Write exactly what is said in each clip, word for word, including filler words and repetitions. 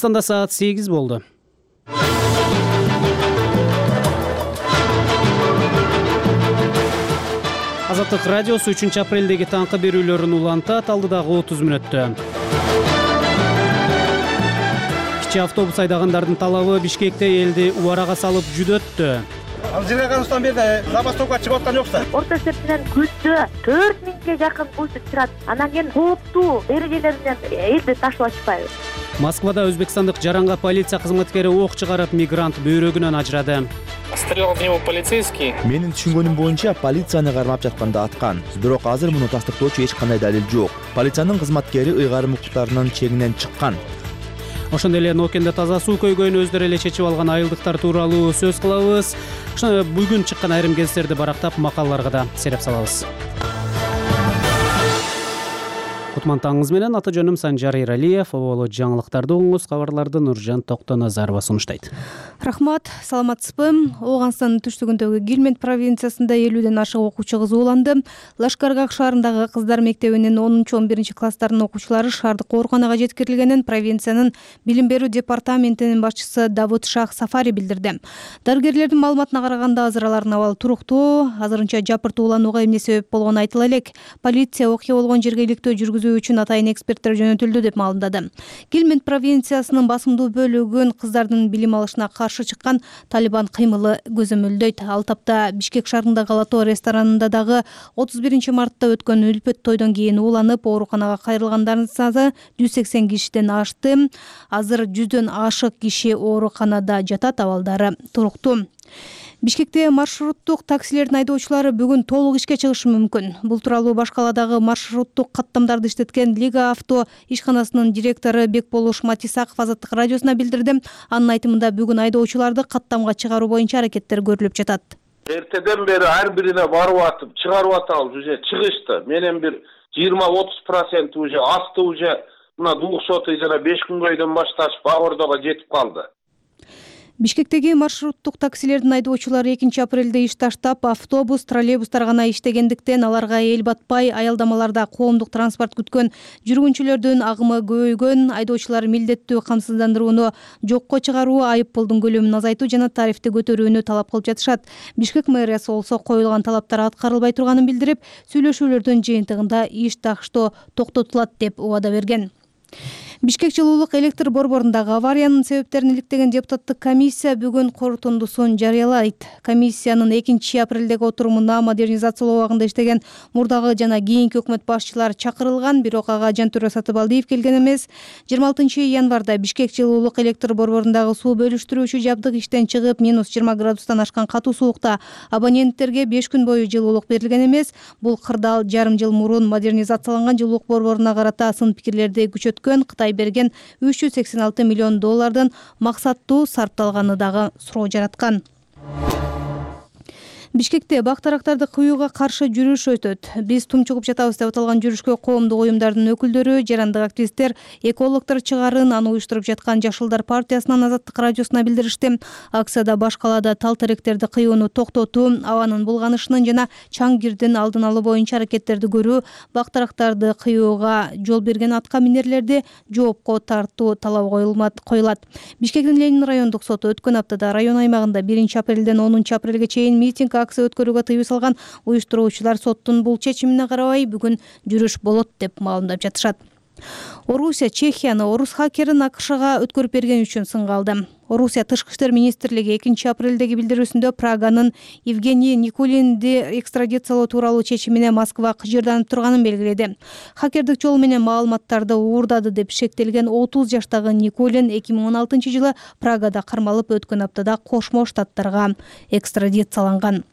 Кыргызстанда саат сегиз болду. Азаттык радиосу үчүнчү апрелдеги таңкы берүүлөрүн улантат алдыдагы отуз мүнөттө. Кичи автобус айдагандардын талабы Бишкекте элди убарага салып жүдөттү. Ал жыйырма бери забастовка чыгып аткан жокса. Орто эсептен күндө төрт миңге жакын пойыз турат. Анан кийин кооптуу эрежелер менен элди ташлап атышпайбы? Москвада өзбекстандык жаранга полиция кызматкери ок чыгарып, мигрант бөйрөгүнөн ажырады. Стрелял в него полицейский. Менин түшүнгөнүм боюнча полицияны кармап жатканда аткан. Бирок азыр муну тастыктоочу эч кандай далил жок. Полициянын кызматкери ыйгарым укуктарынын чегинен чыккан. Ошондой эле Нокенде таза суу көйгөйүн өздөрү эле чечип алган айылдыктар тууралуу сөз кылабыз. Ошо бүгүн чыккан айрым кездерди барактап, макалаларга да сереп салабыз. Кутман таңыңыз менен, аты жөнүм Санжар Иралиев. Оболо жаңылыктарды угуңуз, кабарларды Нуржан Токтоназарова сунуштайт. Рахмат, саламатсызбы? Ооганстандын түштүгүндөгү Гилмент провинциясында элүүдөн ашык окуучу кызууланды. Лашкаргак шаарындагы кыздар мектебинин онунчу он биринчи класстарынын окуучулары шаардык ооруканага жеткирилгенин провинциянын билим берүү департаментинин башчысы Давуд Шах Сафари билдирди. Дарыгерлердин маалыматына караганда азыр алардын абалы туруктуу, азырынча жапыртууланууга эмне себеп болгону айтыла элек. Полиция окуя болгон жерге иликтөө жүргүзүү үчүн атайын эксперттер жөнөтүлдү деп маалымдады. Гилмент провинциясынын басымдуу бөлүгүн кыздардын билим алышына каршы чыккан Талибан кыймылы көзөмөлдөйт. Ал тапта Бишкек шаарындагы Лато ресторанында дагы отуз биринчи мартта өткөн үлпөт тойдон кийин ууланып, ооруканага кайрылгандардын саны жүз сексен кишиден ашты. Азыр жүздөн ашык киши ооруканада жатат, абалдары туруктуу. Бишкекте маршруттук таксилердин айдоочулары бүгүн толук ишке чыгышы мүмкүн. Бул тууралуу Баш каладагы маршруттук каттамдарды иштеткен Лига авто ишканасынын директору Бекболуш Матисаков Азаттык радиосуна билдирди. Анын айтымында бүгүн айдоочуларды каттамга чыгаруу боюнча аракеттер көрүлүп жатат. Эртеден бери ар бирине барып атып, чыгарып атабыз, уже чыгышты. Менен бир жыйырма отуз процент уже асты, уже мына Дук соту жана беш күнгөйдөн башташ Багордого жетип калды. Бишкектеги маршруттук таксилердин айдоочулары экинчи апрелде иш таштап, автобус, троллейбустар гана иштегендиктен аларга эл батпай, аялдамаларда коомдук транспорт күткөн жүргүнчүлөрдүн агымы көбөйгөн. Айдоочулар милдеттүү камсыздандырууну жокко чыгаруу, айып пулдун көлөмүн азайтуу жана тарифти көтөрүүнү талап кылып жатышат. Бишкек мэриясы болсо коюлган талаптар аткарылбай турганын билдирип, сүйлөшүүлөрдүн жыйынтыгында иш таштоо токтотулат деп убада берген. Бишкек жылуулук электр борборундагы авариянын себептерин иликтеген депутаттык комиссия бүгүн корутундусун жарыялайт. Комиссиянын экинчи апрелдеги отурумуна модернизациялоо убагында иштеген мурдагы жана кийинки өкмөт башчылары чакырылган, бирок ага Жантүрө Сатыбалдиев келген эмес. жыйырма алтынчы январда Бишкек жылуулук электр борборундагы суу бөлүштүрүүчү жабдык иштен чыгып, минус жыйырма градустан ашкан катуу суукта абоненттерге беш күн бою жылуулук берилген эмес. Бул кырдаал жарым жыл мурун модернизацияланган жылуулук борборуна карата сын пикирлерди күчөткөн, Кытай берген үч жүз сексен алты миллион доллардын максаттуу сарпталганы дагы суроо жараткан. Бишкекте бактарактарды кыюуга каршы жүрүш өтөт. Биз тумчугуп жатабыз деп аталган жүрүшкө коомдук уюмдардын өкүлдөрү, жарандык активисттер, экологдор чыгарын, аны уюштуруп жаткан Жашылдар партиясынын Азаттык радиосуна билдиришти. Акцияда Баш калаада тал теректерди кыюуну токтотуу, абанын булганышынын жана чаң кирдин алдын алуу боюнча аракеттерди көрүү, бактарактарды кыюуга жол берген атка минерлерди жоопко тартуу талабы коюлат. Бишкектин Ленин райондук соту өткөн аптада район аймагында биринчи апрелден онунчу апрелге чейин митинг акция өткөрүүгө тыюу салган. Уюштуруучулар соттун бул чечимине карабай бүгүн жүрүш болот деп маалымдап жатышат. Орусия Чехияны орус хакерин АКШга өткөрүп берген үчүн сынга алды. Орусия тышкы иштер министрлиги экинчи апрелдеги билдирүүсүндө Праганын Евгений Никулинди экстрадициялоо тууралуу чечимине Москва кыжырданып турганын белгиледи. Хакердик жол менен маалыматтарды уурдады деп шектелген отуз жаштагы Никулин эки миң он алтынчы жылы Прагада кармалып, өткөн аптада Кошмо Штаттарга экстрадицияланган.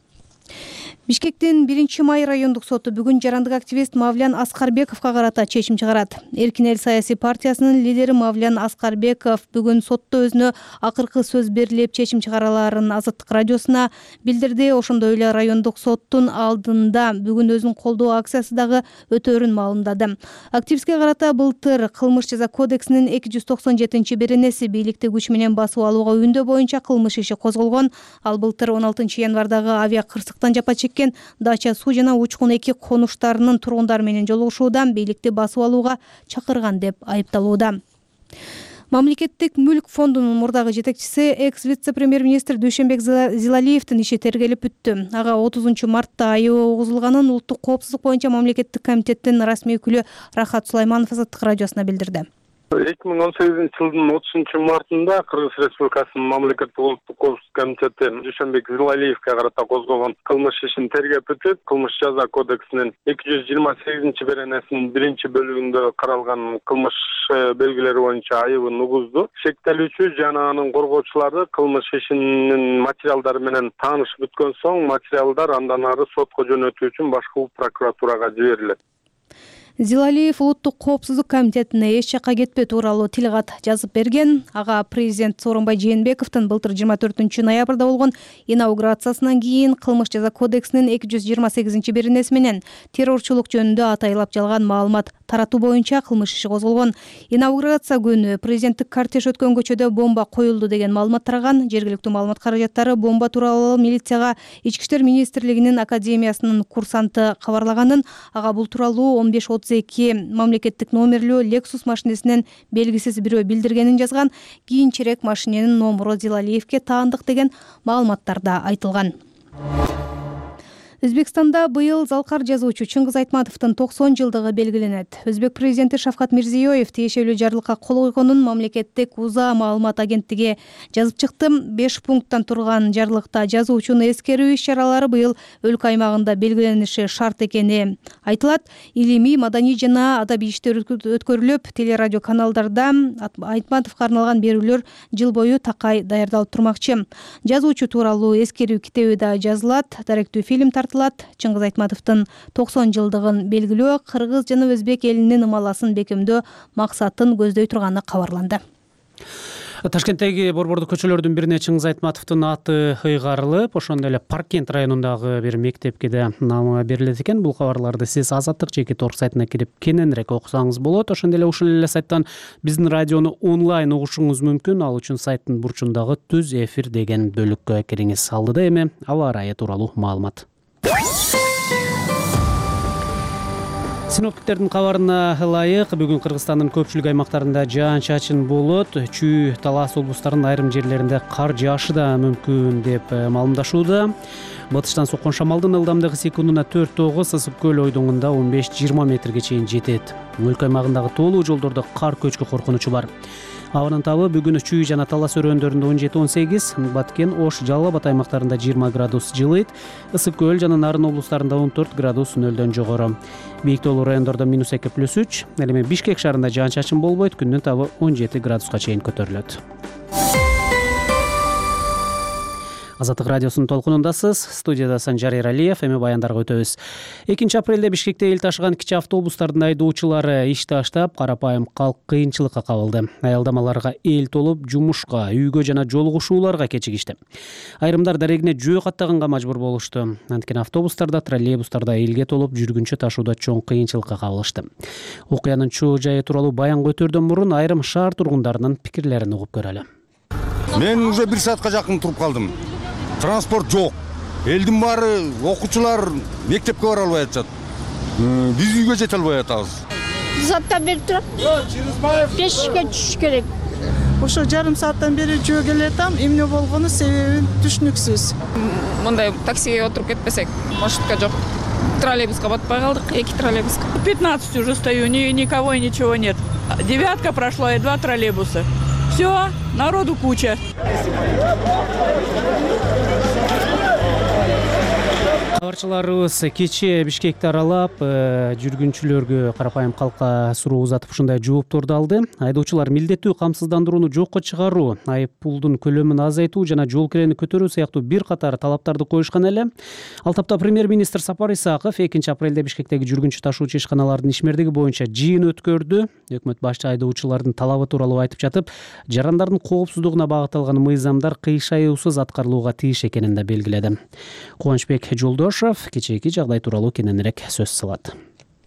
Бишкектин биринчи май райондук соту бүгүн жарандык активист Мавлян Аскарбековго карата чечим чыгарат. Эркин эл саясий партиясынын лидери Мавлян Аскарбеков бүгүн сотто өзүнө акыркы сөз берилип чечим чыгараларын Азаттык радиосуна билдирди. Ошондой эле райондук соттун алдында бүгүн өзүн колдоо акциясы дагы өтөөрүн маалымдады. Активистке карата былтыр кылмыш жаза кодексинин эки жүз токсон жетинчи беренеси бийликти күч менен басып алууга үндөө боюнча кылмыш иши козголгон. Ал былтыр он алтынчы январдагы авиа кырсыктан жапа чеккен Дача суу жана Учкун эки конуштарынын тургундары менен жолугушуудан бийликти басып алууга чакырган деп айыпталууда. Мамлекеттик мүлк фондунун мурдагы жетекчиси экс вице-премьер-министр Дүйшөнбек Зилалиевдин иши тергелип бүттү. Ага отузунчу мартта айыбы угузулганын Улуттук коопсуздук боюнча мамлекеттик комитеттин расмий өкүлү Рахат Сулайманов Азаттык радиосуна билдирди. эки миң он сегизинчи жылдын отузунчу мартында Кыргыз Республикасынын мамлекеттик улуттук коопсуздук комитети Дүйшөнбек Зилалиевге карата козгогон кылмыш ишин тергеп бүтүп, кылмыш жаза кодексинин эки жүз жыйырма сегизинчи беренесинин биринчи бөлүгүндө каралган кылмыш белгилери боюнча айыбын угузду. Шектелүүчү жана анын коргоочулары кылмыш ишинин материалдары менен таанышып бүткөн соң, материалдар андан ары сотко жөнөтүү үчүн башкы прокуратурага жиберилет. Зилалиев Улуттук коопсуздук комитетине эч жакка кетпөө тууралуу тил кат жазып берген. Ага президент Сооронбай Жээнбековдун былтыр жыйырма төртүнчү ноябрда болгон инаугурациясынан кийин кылмыш жаза кодексинин эки жүз жыйырма сегизинчи беренеси менен террорчулук жөнүндө атайлап жалган маалымат таратуу боюнча кылмыш иши козголгон. Инаугурация күнү президенттик кортеж өткөн көчөдө бомба коюлду деген маалымат тараган. Жергиликтүү маалымат каражаттары бомба тууралуу милицияга Ички иштер министрлигинин академиясынын курсанты кабарлаганын, ага бул тууралуу он беш отуз эки мамлекеттик номерлүү Lexus машинесинен белгисиз бирөө билдиргенин жазган. Кийинчерээк машиненин номуру Зилалиевге таандык деген маалыматтарда айтылган. Өзбекстанда быйыл залкар жазуучу Чыңгыз Айтматовдун токсон жылдыгы белгиленет. Өзбек президенти Шавкат Мирзиёев тиешелүү жарлыкка кол койгонун мамлекеттик УЗА маалымат агенттиги жазып чыкты. беш пункттан турган жарлыкта жазуучуну эскерүү иш-чаралары быйыл өлкө аймагында белгилениши шарт экени айтылат. Илимий, маданий жана адабий иштер өткөрүлүп, телерадио каналдарда Айтматовго арналган берүүлөр жыл бою такай даярдалып турмакчы. Жазуучу тууралуу эскерүү китеби да жазылат, даректүү фильм тартылат. Чыңгыз Айтматовдун токсон жылдыгын белгилөө кыргыз жана өзбек элинин ымаласын бекемдөө максатын көздөй турганы кабарланды. Ташкенттеги борбордук көчөлөрдүн бирине Чыңгыз Айтматовдун аты ыйгарылып, ошондой эле Паркент районундагы бир мектепке да намы берилет экен. Бул кабарларды сиз Азаттык жеке торг сайтына кирип кененирээк окусаңыз болот. Ошондой эле ушул эле сайттан биздин радиону онлайн угушуңуз мүмкүн. Ал үчүн сайттын бурчундагы түз эфир деген бөлүккө кириңиз. Алдыда эми аба ырайы тууралуу маалымат. Синоптиктердин кабарына ылайык, бүгүн Кыргызстандын көпчүлүк аймактарында жаан-чачын болот. Чүй, Талас облустарынын айрым жерлеринде кар жаашы да мүмкүн деп маалымдашууда. Батыштан соккон шамалдын ылдамдыгы секундуна төрт тогуз, Ысык көл ойдуңунда он беш жыйырма метрге чейин жетет. Өлкө аймагындагы тоолуу жолдордо кар көчкү коркунучу бар. Абанын табы бүгүн Чүй жана Талас өрөөндөрүндө он жети он сегиз, Баткен, Ош, Жалал Абад аймактарында жыйырма градус жылыйт. Ысык көл жана Нарын облустарында он төрт градус нөлдөн жогору. Бийик тоолуу райондордо минус эки плюс үч, ал эми Бишкек шаарында жаан-чачын болбойт, күндүн табы он жети градуска чейин көтөрүлөт. Азаттык радиосунун толкунундасыз. Студияда Санжар Эралиев, эми баяндарга өтөбүз. экинчи апрелде Бишкекте эл ташыган кичи автобустардын айдоочулары иш таштап, карапайым калк кыйынчылыкка кабылды. Аялдамаларга эл толуп, жумушка, үйгө жана жолугушууларга кечигишти. Айрымдар дарегине жөө каттаганга мажбур болушту. Анткени автобустарда, троллейбустарда элге толуп, жүргүнчү ташууда чоң кыйынчылыкка кабылышты. Окуянын чоо жайы тууралуу баян көтөрдөн мурун айрым шаар тургундарынын пикирлерин угуп көрөлү. Мен уже бир саатка жакын туруп калдым. Транспорт жок. Элдин баары, окуучулар мектепке бара албай атышат. Биз үйгө жете албай атабыз. Сааттан бери турам. Бешке түшүш керек. Ошо жарым сааттан бери жөө келатам. Эмне болгону себебин түшүнүксүз. Мындай таксиге отуруп кетпесек, маршрутка жок. Троллейбуска батпай калдык, эки троллейбуска. пятнадцать уже стою, ни никого и ничего нет. Девятка прошла и два троллейбуса. Все, народу куча. Кабарчыларыбыз кечээ Бишкекти аралап, жүргүнчүлөргө, карапайым калкка суроо узатып ушундай жоопторду алды. Айдоочулар милдеттүү камсыздандырууну жокко чыгаруу, айып пулдун көлөмүн азайтуу жана жол кирени көтөрүү сыяктуу бир катар талаптарды коюшкан эле. Ал тапта премьер-министр Сапар Исаков экинчи апрелде Бишкектеги жүргүнчү ташуучу ишканалардын ишмердиги боюнча жыйын өткөрдү. Өкмөт башчы айдоочулардын талабы тууралуу айтып жатып, жарандардын коопсуздугуна багытталган мыйзамдар кыйшаюусуз аткарылууга тийиш экенин да белгиледи. Кубанычбек Жолдошов кечээки жагдай тууралуу кененирээк сөз салат.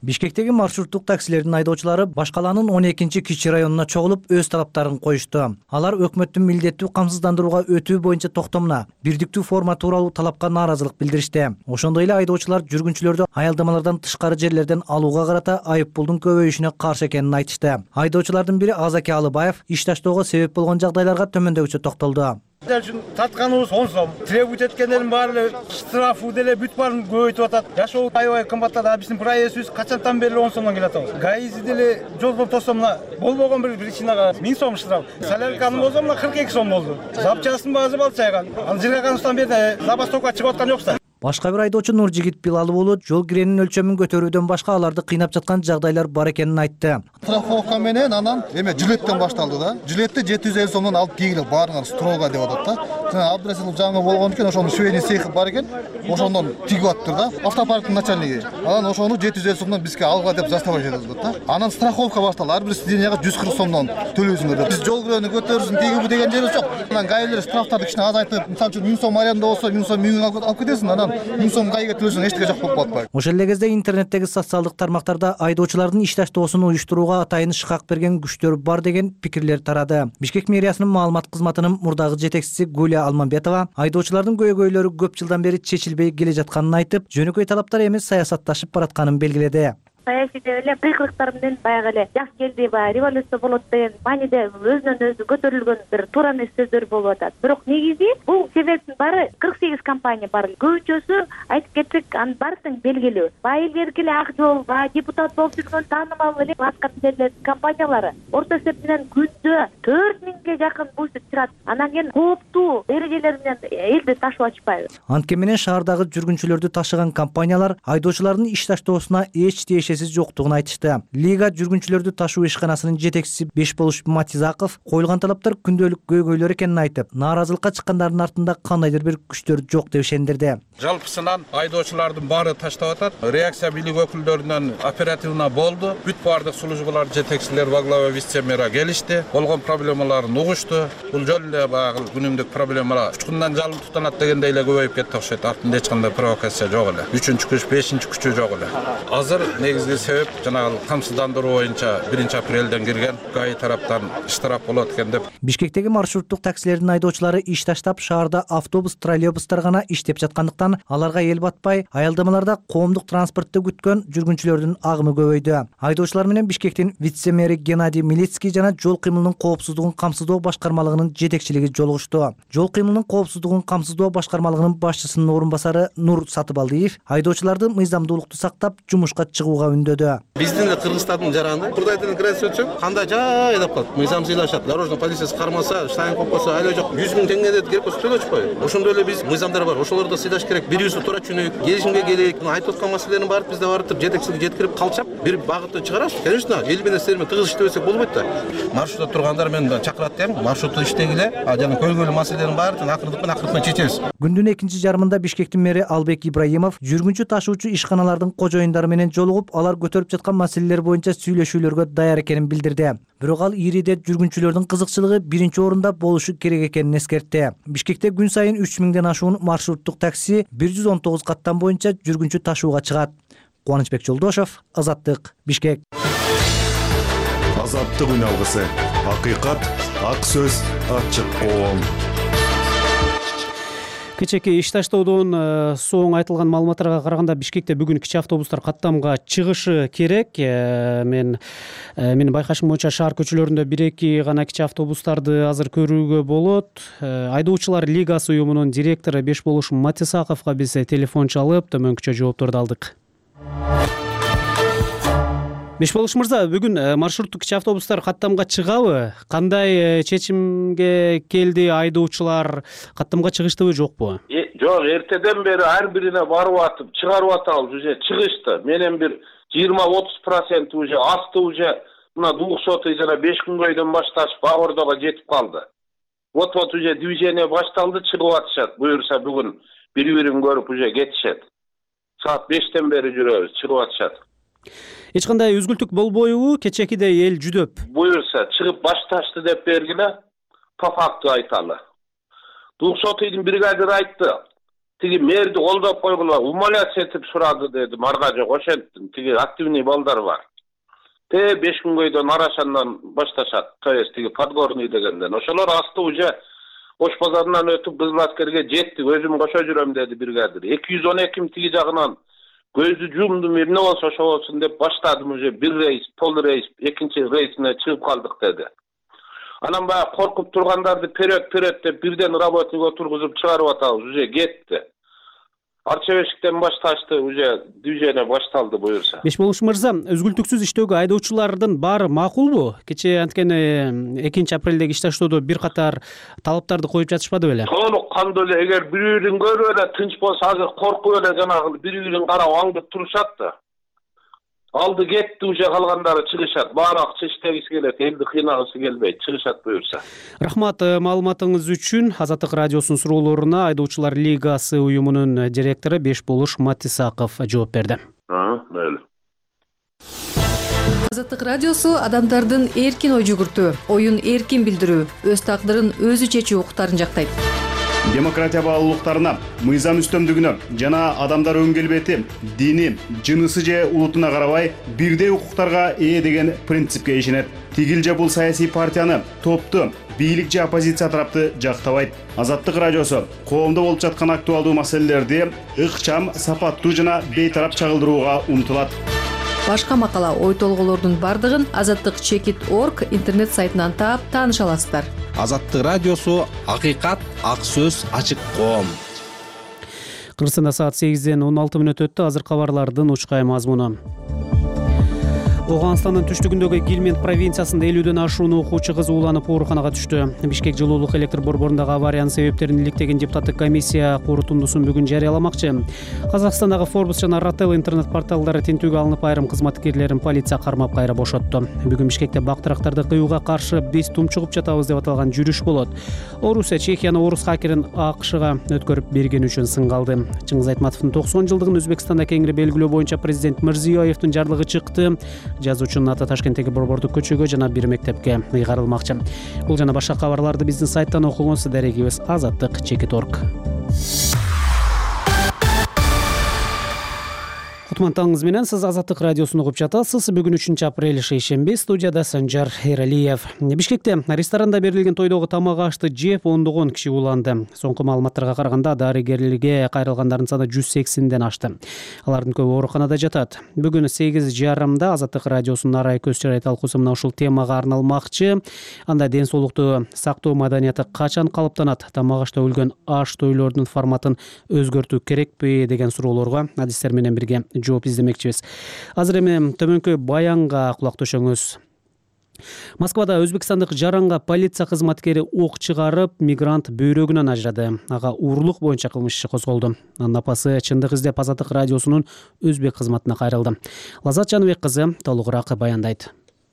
Бишкектеги маршруттук таксилердин айдоочулары баш калаанын он экинчи кичи районуна чогулуп өз талаптарын коюшту. Алар өкмөттүн милдеттүү камсыздандырууга өтүү боюнча токтомуна, бирдиктүү форма тууралуу талапка нааразылык билдиришти. Ошондой эле айдоочулар жүргүнчүлөрдү аялдамалардан тышкары жерлерден алууга карата айып пулдун көбөйүшүнө каршы экенин айтышты. Айдоочулардын бири Азаки Алыбаев иш таштоого себеп болгон жагдайларга төмөндөгүчө токтолду. Үчүн татканыбыз он сом, требовать эткендердин баары эле штрафы деле бүт баарын көбөйтүп атат. Жашоо аябай кымбаттады. А биздин проездибиз качантан бери он сомдон келип атабыз. гаизи деле жолдон тосом мына болбогон бир причинага миң сом штраф. Солярканы болсо мына кырк эки сом болду. Запчастын баасы балчайган. Ал Жиргаганстан бери забастовка чыгып аткан жокса. Башка бир айдоочу Нуржигит Билалуулу жол киренин өлчөмүн көтөрүүдөн башка аларды кыйнап жаткан жагдайлар бар экенин айтты. Страховка менен анан эме жилеттен башталды да. Жилетти жети жүз элүү сомдон алып кийгиле баарыңар строго деп атат да. Жана Абдрасилов жаңы болгон экен, ошонун швейный цехи бар экен. Ошондон тигип аттыр да. Автопарктын начальниги. Анан ошону жети жүз элүү сомдон бизге алга деп заставать этет да. Анан страховка башталды. Ар бир сиденияга жүз кырк сомдон төлөйсүңөр деп. Биз жол кирени көтөрүшүн тигиби деген жерибиз жок. Анан гаилер штрафтарды кичине азайтып, мисалы үчүн миң сом аренда болсо миң сом миң алып кетесиң, анан миң сом гайга төлөсөң эчтеке жок болуп калат. Ошол эле кезде интернеттеги социалдык тармактарда айдоочулардын иш таштоосун уюштурууга атайын шыкак берген күчтөр бар деген пикирлер тарады. Бишкек мэриясынын маалымат кызматынын мурдагы жетекчиси Гуля Алмамбетова айдоочулардын көйгөйлөрү көп жылдан бери чечилбей келе жатканын айтып, жөнөкөй талаптар эмес саясатташып баратканын белгиледи. Саясий эле кыйкылыктар менен баягы эле жаш келди, баягы революция болот деген мааниде өзүнөн өзү көтөрүлгөн бир туура эмес сөздөр болуп атат. Бирок негизи бул себептин баары кырк сегиз компания бар. Көбүнчөсү айтып кетсек, анын баардыгы белгилүү. Байылдерге эле ак жол, баягы депутат болуп жүргөн таанымал эле аткамдерлер компаниялары орто эсеп менен күндө төрт миңге жакын буйсуп чырат. Анан кийин кооптуу эрежелер менен элди ташып атышпайбы? Анткени менен шаардагы жүргүнчүлөрдү ташыган компаниялар айдоочулардын иш таштоосуна эч тиешеси жоктугун айтышты. Лига жүргүнчүлөрдү ташуу ишканасынын жетекчиси Бешболуш Матизаков коюлган талаптар күндөлүк көйгөйлөр экенин айтып, нааразылыкка чыккандардын артында кандайдыр бир күчтөр жок деп ишендирди. Жалпысынан айдоочулардын баары таштап атат. Реакция бийлик өкүлдөрүнөн оперативно болду. Бүт баардык службалар жетекчилер во глава вице-мэра келишти. Болгон проблемаларын угушту. Бул жол эле баягы күнүмдүк проблемалар учкундан жалын тутанат дегендей эле көбөйүп кетти окшойт. Артында эч кандай провокация жок эле. үчүнчү күч, бешинчи күчү жок эле. Азыр негизги себеп жанагы камсыздандыруу боюнча биринчи апрелден кирген ГАИ тараптан штраф болот экен деп. Бишкектеги маршруттук таксилердин айдоочулары иш таштап, шаарда автобус, троллейбустар гана иштеп жаткандыктан аларга эл батпай, аялдамаларда коомдук транспортто күткөн жүргүнчүлөрдүн агымы көбөйдү. Айдоочулар менен Бишкектин вице-мэри Геннадий Милицкий жана жол кыймылынын коопсуздугун камсыздоо башкармалыгынын жетекчилиги жолугушту. Жол кыймылынын коопсуздугун камсыздоо башкармалыгынын башчысынын орун басары Нур Сатыбалдиев айдоочуларды мыйзамдуулукту сактап жумушка чыгууга үндөдү. Биздин эле Кыргызстандын жараны Кырдайдын граница өтсөк, кандай жай айдап калат. Мыйзам сыйлашат. Дорожный полициясы кармаса, штайн коюп койсо, айла жок жүз миң теңге керек болсо төлөчү кой. Ошондой эле биз мыйзамдар бар. Ошолорду сыйлаш керек. Бирибизди туура түшүнөйүк. Келишимге келейик. Айтып аткан маселелерин баарын бизде барып жетекчиликке жеткирип калчап, бир багытты чыгарабыз. Конечно, эл менен силер менен тыгыз иштебесек болбойт да. Маршрутта тургандар мен чакырат дем. Маршрутта иштегиле. А жана көйгөйлүү маселелерин баарын акырындык менен акырындык менен чечебиз. Күндүн экинчи жарымында Бишкектин мэри Албек Ибраимов жүргүнчү ташуучу ишканалардын кожоюндары менен жолугуп, алар көтөрүп жаткан маселелер боюнча сүйлөшүүлөргө даяр экенин билдирди. Бирок ал ириде жүргүнчүлөрдүн кызыкчылыгы биринчи орунда болушу керек экенин эскертти. Бишкекте күн сайын үч миңден ашуун маршруттук такси бир жүз он тогуз каттам боюнча жүргүнчү ташууга чыгат. Кубанычбек Жолдошов, Азаттык, Бишкек. Азаттык үналгысы. Акыйкат, ак сөз, ачык коом. Кечээки иш таштоодон соң айтылган маалыматтарга караганда Бишкекте бүгүн кичи автобустар каттамга чыгышы керек. Мен менин байкашым боюнча шаар көчөлөрүндө бир эки гана кичи автобустарды азыр көрүүгө болот. Айдоочулар лигасы уюмунун директору Бешболуш Матисаковго биз телефон чалып төмөнкүчө жоопторду алдык. Бешболуш мырза, бүгүн маршруттук кичи автобустар каттамга чыгабы? Кандай чечимге келди айдоочулар? Каттамга чыгыштыбы, жокпу? Жок, эртеден бери ар бирине барып атып, чыгарып атабыз, уже чыгышты. Менен бир жыйырма отуз процент уже асты, уже мына двухсотый жана беш күнгөйдөн башташып Багордого жетип калды. Вот-вот уже движение башталды, чыгып атышат. Буюрса бүгүн бири-бирин көрүп уже кетишет. Саат бештен бери жүрөбүз, чыгып атышат. Эч кандай үзгүлтүк болбойбу? Кечекидей эл жүдөп. Буюрса чыгып башташты деп бергиле, по факту айталы. двухсотыйдын бригадир айтты. тиги мэрди колдоп койгула, умоляция этип сурады дедим. Арга жок, ошенттим. Тиги активный балдар бар. Те беш күнгөйдөн Арашандан башташат. То есть тиги подгорный дегенден. Ошолор асты уже Ош базарынан өтүп Кызыл аскерге жетти. Өзүм кошо жүрөм деди бригадир. эки жүз он эки тиги жагынан көздү жумдум, эмне болсо ошо болсун деп баштадым. Уже бир рейс, пол рейс, экинчи рейсине чыгып калдык деди. Анан баягы коркуп тургандарды перет перет деп бирден работник отургузуп чыгарып атабыз. Уже кетти. Арчебешиктен башташты, уже движение башталды буюрса. Бешболуш мырза, үзгүлтүксүз иштөөгө айдоочулардын баары макулбу? Кечээ анткени экинчи апрелдеги иштештөөдө бир катар талаптарды коюп жатышпады беле? Толук кандуу эле, эгер бири-бирин көрүп эле тынч болсо, азыр коркуп эле жанагы бири-бирин карап аңдып турушат да. Алды кетти, уже калгандары чыгышат. Баары акча иштегиси келет, элди кыйнагысы келбейт, чыгышат буюрса. Рахмат маалыматыңыз үчүн. Азаттык радиосунун суроолоруна Айдоочулар лигасы уюмунун директору Бешболуш Матисаков жооп берди. А, мейли. Азаттык радиосу адамдардын эркин ой жүгүртүү, оюн эркин билдирүү, өз тагдырын өзү чечүү укуктарын жактайт. Демократия баалуулуктарына, мыйзам үстөмдүгүнө жана адамдар өн келбети, дини, жынысы же улутуна карабай бирдей укуктарга ээ деген принципке ишенет. Тигил же бул саясий партияны, топту, бийлик же оппозиция тарапты жактабайт. Азаттык радиосу коомдо болуп жаткан актуалдуу маселелерди ыкчам, сапаттуу жана бейтарап чагылдырууга умтулат. Башка макала, ой толгоолордун бардыгын азаттык чекит точка орг интернет сайтынан таап тааныша аласыздар. Азаттык радиосу акыйкат, ак сөз, ачык коом. Кыргызстанда саат сегизден он алты мүнөт өттү. Азыр кабарлардын учкай мазмуну. Оганстандын түштүгүндөгү Гилмент провинциясында элүүдөн ашуун окуучу кыз ууланып ооруканага түштү. Бишкек жылуулук электр борборундагы авариянын себептерин иликтеген депутаттык комиссия корутундусун бүгүн жарыяламакчы. Казакстандагы Forbes жана Ratel интернет порталдары тинтүүгө алынып, айрым кызматкерлерин полиция кармап кайра бошотту. Бүгүн Бишкекте бактырактарды кыюуга каршы биз тумчугуп жатабыз деп аталган жүрүш болот. Орусия Чехияны орус хакерин АКШга өткөрүп бергени үчүн сынга алды. Чыңгыз Айтматовдун токсон жылдыгын Өзбекстанда кеңири белгилөө боюнча президент Мирзиёевдун жарлыгы чыкты. Жазуучунун аты Ташкенттеги борбордук көчөгө жана бир мектепке ыйгарылмакчы. Бул жана башка кабарларды биздин сайттан окуңуз. Дарегибиз азаттык чекит точка орг. Кутман менен сиз Азаттык радиосун угуп жатасыз. Бүгүн үчүнчү апрель шейшемби, студияда Санжар Эралиев. Бишкекте ресторанда берилген тойдогу тамак ашты жеп ондогон киши ууланды. Соңку маалыматтарга караганда дарыгерлерге кайрылгандардын саны жүз сексенден ашты. Алардын көбү ооруканада жатат. Бүгүн сегиз жарымда Азаттык радиосунун арай көз чырай талкуусу мына ушул темага арналмакчы. Анда ден соолукту сактоо маданияты качан калыптанат? Тамак ашта өлгөн аш тойлордун форматын өзгөртүү керекпи деген суроолорго адистер менен бирге жооп издемекчибиз. Азыр эми төмөнкү баянга кулак төшөңүз. Москвада өзбекстандык жаранга полиция кызматкери ок чыгарып, мигрант бөйрөгүнөн ажырады. Ага уурулук боюнча кылмыш иши козголду. Анын апасы чындык издеп Азаттык радиосунун өзбек кызматына кайрылды. Лазат Жаныбек кызы толугураак баяндайт.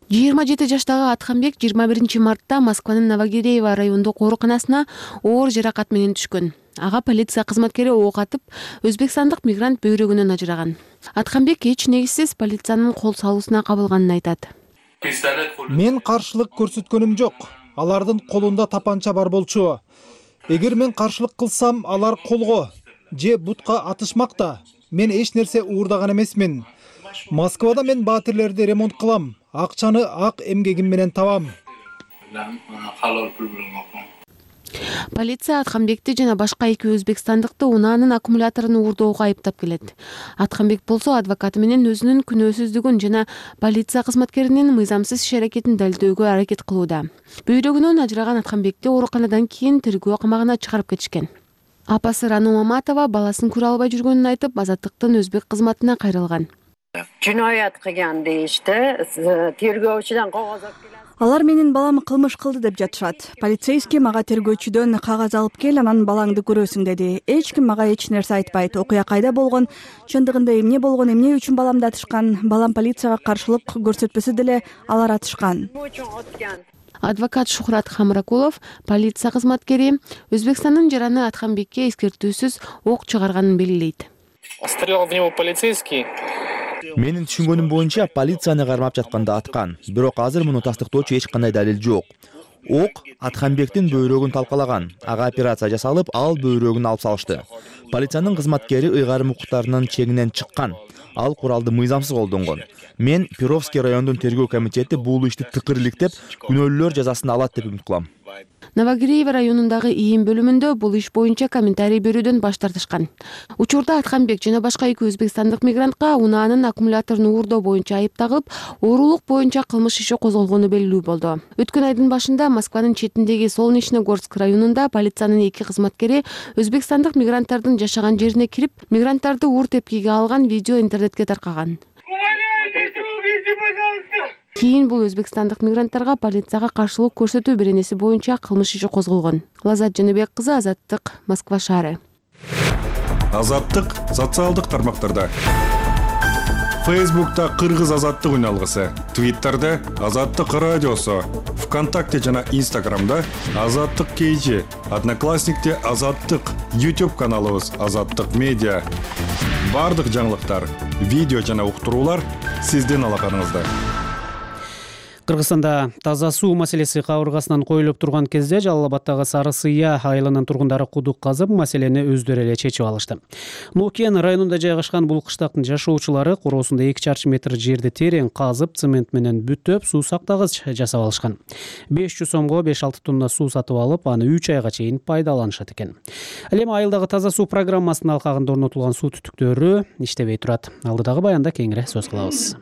жыйырма жети жаштагы Атканбек жыйырма биринчи мартта Москванын Новогиреево райондук ооруканасына оор жаракат менен түшкөн. Ага полиция кызматкери ок атып, өзбекстандык мигрант бөйрөгүнөн ажыраган. Атканбек эч негизсиз полициянын кол салуусуна кабылганын айтат. Мен каршылык көрсөткөнүм жок. Алардын колунда тапанча бар болчу. Эгер мен каршылык кылсам, алар колго же бутка атышмакта. Мен эч нерсе уурдаган эмесмин. Москвада мен батирлерди ремонт кылам. Акчаны ак эмгегим менен табам. Полиция Атканбекти жана башка эки өзбекстандыкты унаанын аккумуляторун уурдоого айыптап келет. Атканбек болсо адвокаты менен өзүнүн күнөөсүздүгүн жана полиция кызматкеринин мыйзамсыз иш аракетин далилдөөгө аракет кылууда. Бөйрөгүнөн ажыраган Атканбекти ооруканадан кийин тергөө камагына чыгарып кетишкен. Апасы Рану Маматова баласын көрө албай жүргөнүн айтып, Азаттыктын өзбек кызматына кайрылган. Жиноят кылган дейишти. Тергөөчүдөн кагаз алып келет. Алар менин балам кылмыш кылды деп жатышат. Полицейский мага тергөөчүдөн кагаз алып кел, анан балаңды көрөсүң деди. Эч ким мага эч нерсе айтпайт. Окуя кайда болгон, чындыгында эмне болгон, эмне үчүн баламды атышкан, балам полицияга каршылык көрсөтпөсө деле алар атышкан. Адвокат Шухрат Хамракулов полиция кызматкери Өзбекстандын жараны Атканбекке эскертүүсүз ок чыгарганын белгилейт. Стрелял в него полицейский. Менин түшүнгөнүм боюнча полицияны кармап жатканда аткан. Бирок азыр муну тастыктоочу эч кандай далил жок. Ок Атканбектин бөйрөгүн талкалаган. Ага операция жасалып, ал бөйрөгүн алып салышты. Полициянын кызматкери ыйгарым укуктарынын чегинен чыккан. Ал куралды мыйзамсыз колдонгон. Мен Перовский райондун тергөө комитети бул ишти тыкырылыктеп, күнөөлүүлөр жазасын алат деп үмүт кылам. Новогиреево районундагы ийин бөлүмүндө бул иш боюнча комментарий берүүдөн баш тартышкан. Учурда Атканбек жана башка эки өзбекстандык мигрантка унаанын аккумуляторун уурдоо боюнча айып тагып, оорулук боюнча кылмыш иши козголгону белгилүү болду. Өткөн айдын башында Москванын четиндеги Солнечногорск районунда полициянын эки кызматкери өзбекстандык мигранттардын жашаган жерине кирип, мигранттарды уур тепкиге алган видео интернетке таркаган. Кийин бул өзбекстандык мигранттарга полицияга каршылык көрсөтүү беренеси боюнча кылмыш иши козголгон. Лазат Жаныбек кызы, Азаттык, Москва шаары. Азаттык социалдык тармактарда. Фейсбукта Кыргыз азаттык үн алгысы, Твиттерде Азаттык радиосу, ВКонтакте жана Инстаграмда Азаттык кейжи, Одноклассникте Азаттык, YouTube каналыбыз Азаттык медиа. Бардык жаңылыктар, видео жана уктуруулар сиздин алаканыңызда. Кыргызстанда таза суу маселеси кабыргасынан коюлуп турган кезде Жалал Абаддагы Сары Сыя айылынын тургундары кудук казып, маселени өздөрү эле чечип алышты. Нукен районунда жайгашкан бул кыштактын жашоочулары короосунда эки чарчы метр жерди терең казып, цемент менен бүтөп, суу сактагыч жасап алышкан. беш жүз сомго беш алты тонна суу сатып алып, аны үч айга чейин пайдаланышат экен. Ал эми айылдагы таза суу программасынын алкагында орнотулган суу түтүктөрү иштебей турат. Алдыдагы баянда кеңири сөз кылабыз.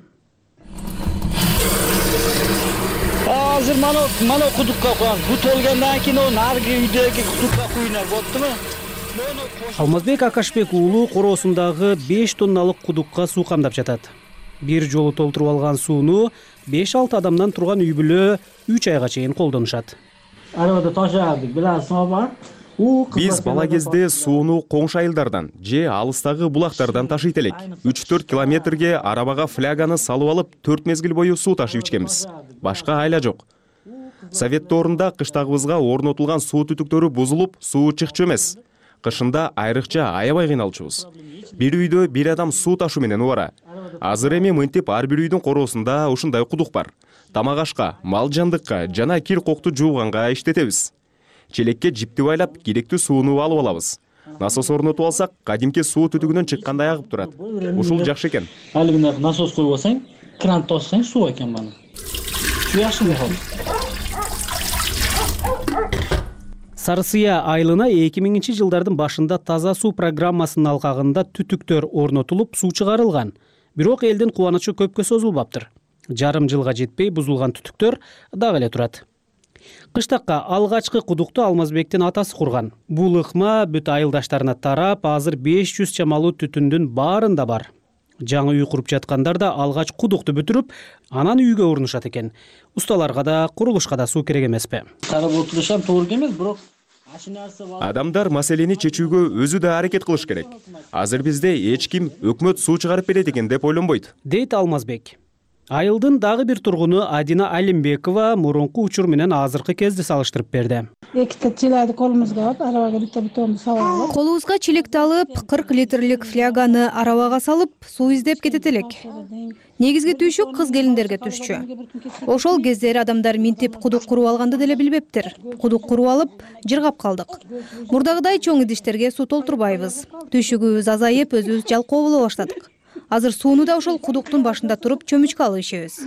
Азыр мана мана кудукка коём. Бут болгондон кийин onu аркы үйдөгү кудукка куйнар болуптурбу? Алмазбек Акашбек уулу короосундагы беш тонналык кудукка суу камдап жатат. Бир жолу толтуруп алган сууну беш алты адамдан турган үй бүлө үч айга чейин колдонушат. Арабада ташадык, биласыңбы бар? Биз бала кезде сууну коңшу айылдардан же алыстагы булактардан ташыйт элек. үч төрт километрге арабага фляганы салып алып, төрт мезгил бою суу ташып ичкенбиз. Башка айла жок. Совет доорунда кыштагыбызга орнотулган суу түтүктөрү бузулуп, суу чыкчу эмес. Кышында айрыкча аябай кыйналчубуз. Бир үйдө бир адам суу ташуу менен убара. Азыр эми мынтип ар бир үйдүн короосунда ушундай кудук бар. Тамак ашка, мал жандыкка жана кир кокту жууганга иштетебиз. Челекке жипти байлап, керектүү сууну алып алабыз. Насос орнотуп алсак, кадимки суу түтүгүнөн чыккандай агып турат. Ушул жакшы экен. Али мындай насос коюп алсаң, кран тоссаң суу экен бана. Суу жакшы болот. Сары Сыя айылына эки миңинчи жылдардын башында таза суу программасынын алкагында түтүктөр орнотулуп, суу чыгарылган. Бирок элдин кубанычы көпкө созулбаптыр. Жарым жылга жетпей бузулган түтүктөр дагы эле турат. Кыштакка алгачкы кудукту Алмазбектин атасы курган. Бул ыкма бүт айылдаштарына тарап, азыр беш жүз чамалуу түтүндүн баарында бар. Жаңы үй куруп жаткандар да алгач кудукту бүтүрүп, анан үйгө урунушат экен. Усталарга да, курулушка да суу керек эмеспи? Карап отурушам туура эмес, бирок адамдар маселени чечүүгө өзү да аракет кылыш керек. Азыр бизде эч ким өкмөт суу чыгарып берет экен деп ойлонбойт, дейт Алмазбек. Айылдын дагы бир тургуну Адина Алимбекова мурунку учур менен азыркы кезде салыштырып берди. Эките чилайды колубузга алып, арабага бүтө бүтөбүз салып алып. Колубузга чилекти алып, кырк литрлик фляганы арабага салып, суу издеп кетет элек. Негизги түйшүк кыз келиндерге түшчү. Ошол кездери адамдар минтип кудук куруп алганды деле билбептир. Кудук куруп алып, жыргап калдык. Мурдагыдай чоң идиштерге суу толтурбайбыз. Түйшүгүбүз азайып, өзүбүз жалкоо боло баштадык. Азыр сууну да ошол кудуктун башында туруп чөмүчкө алып ичебиз.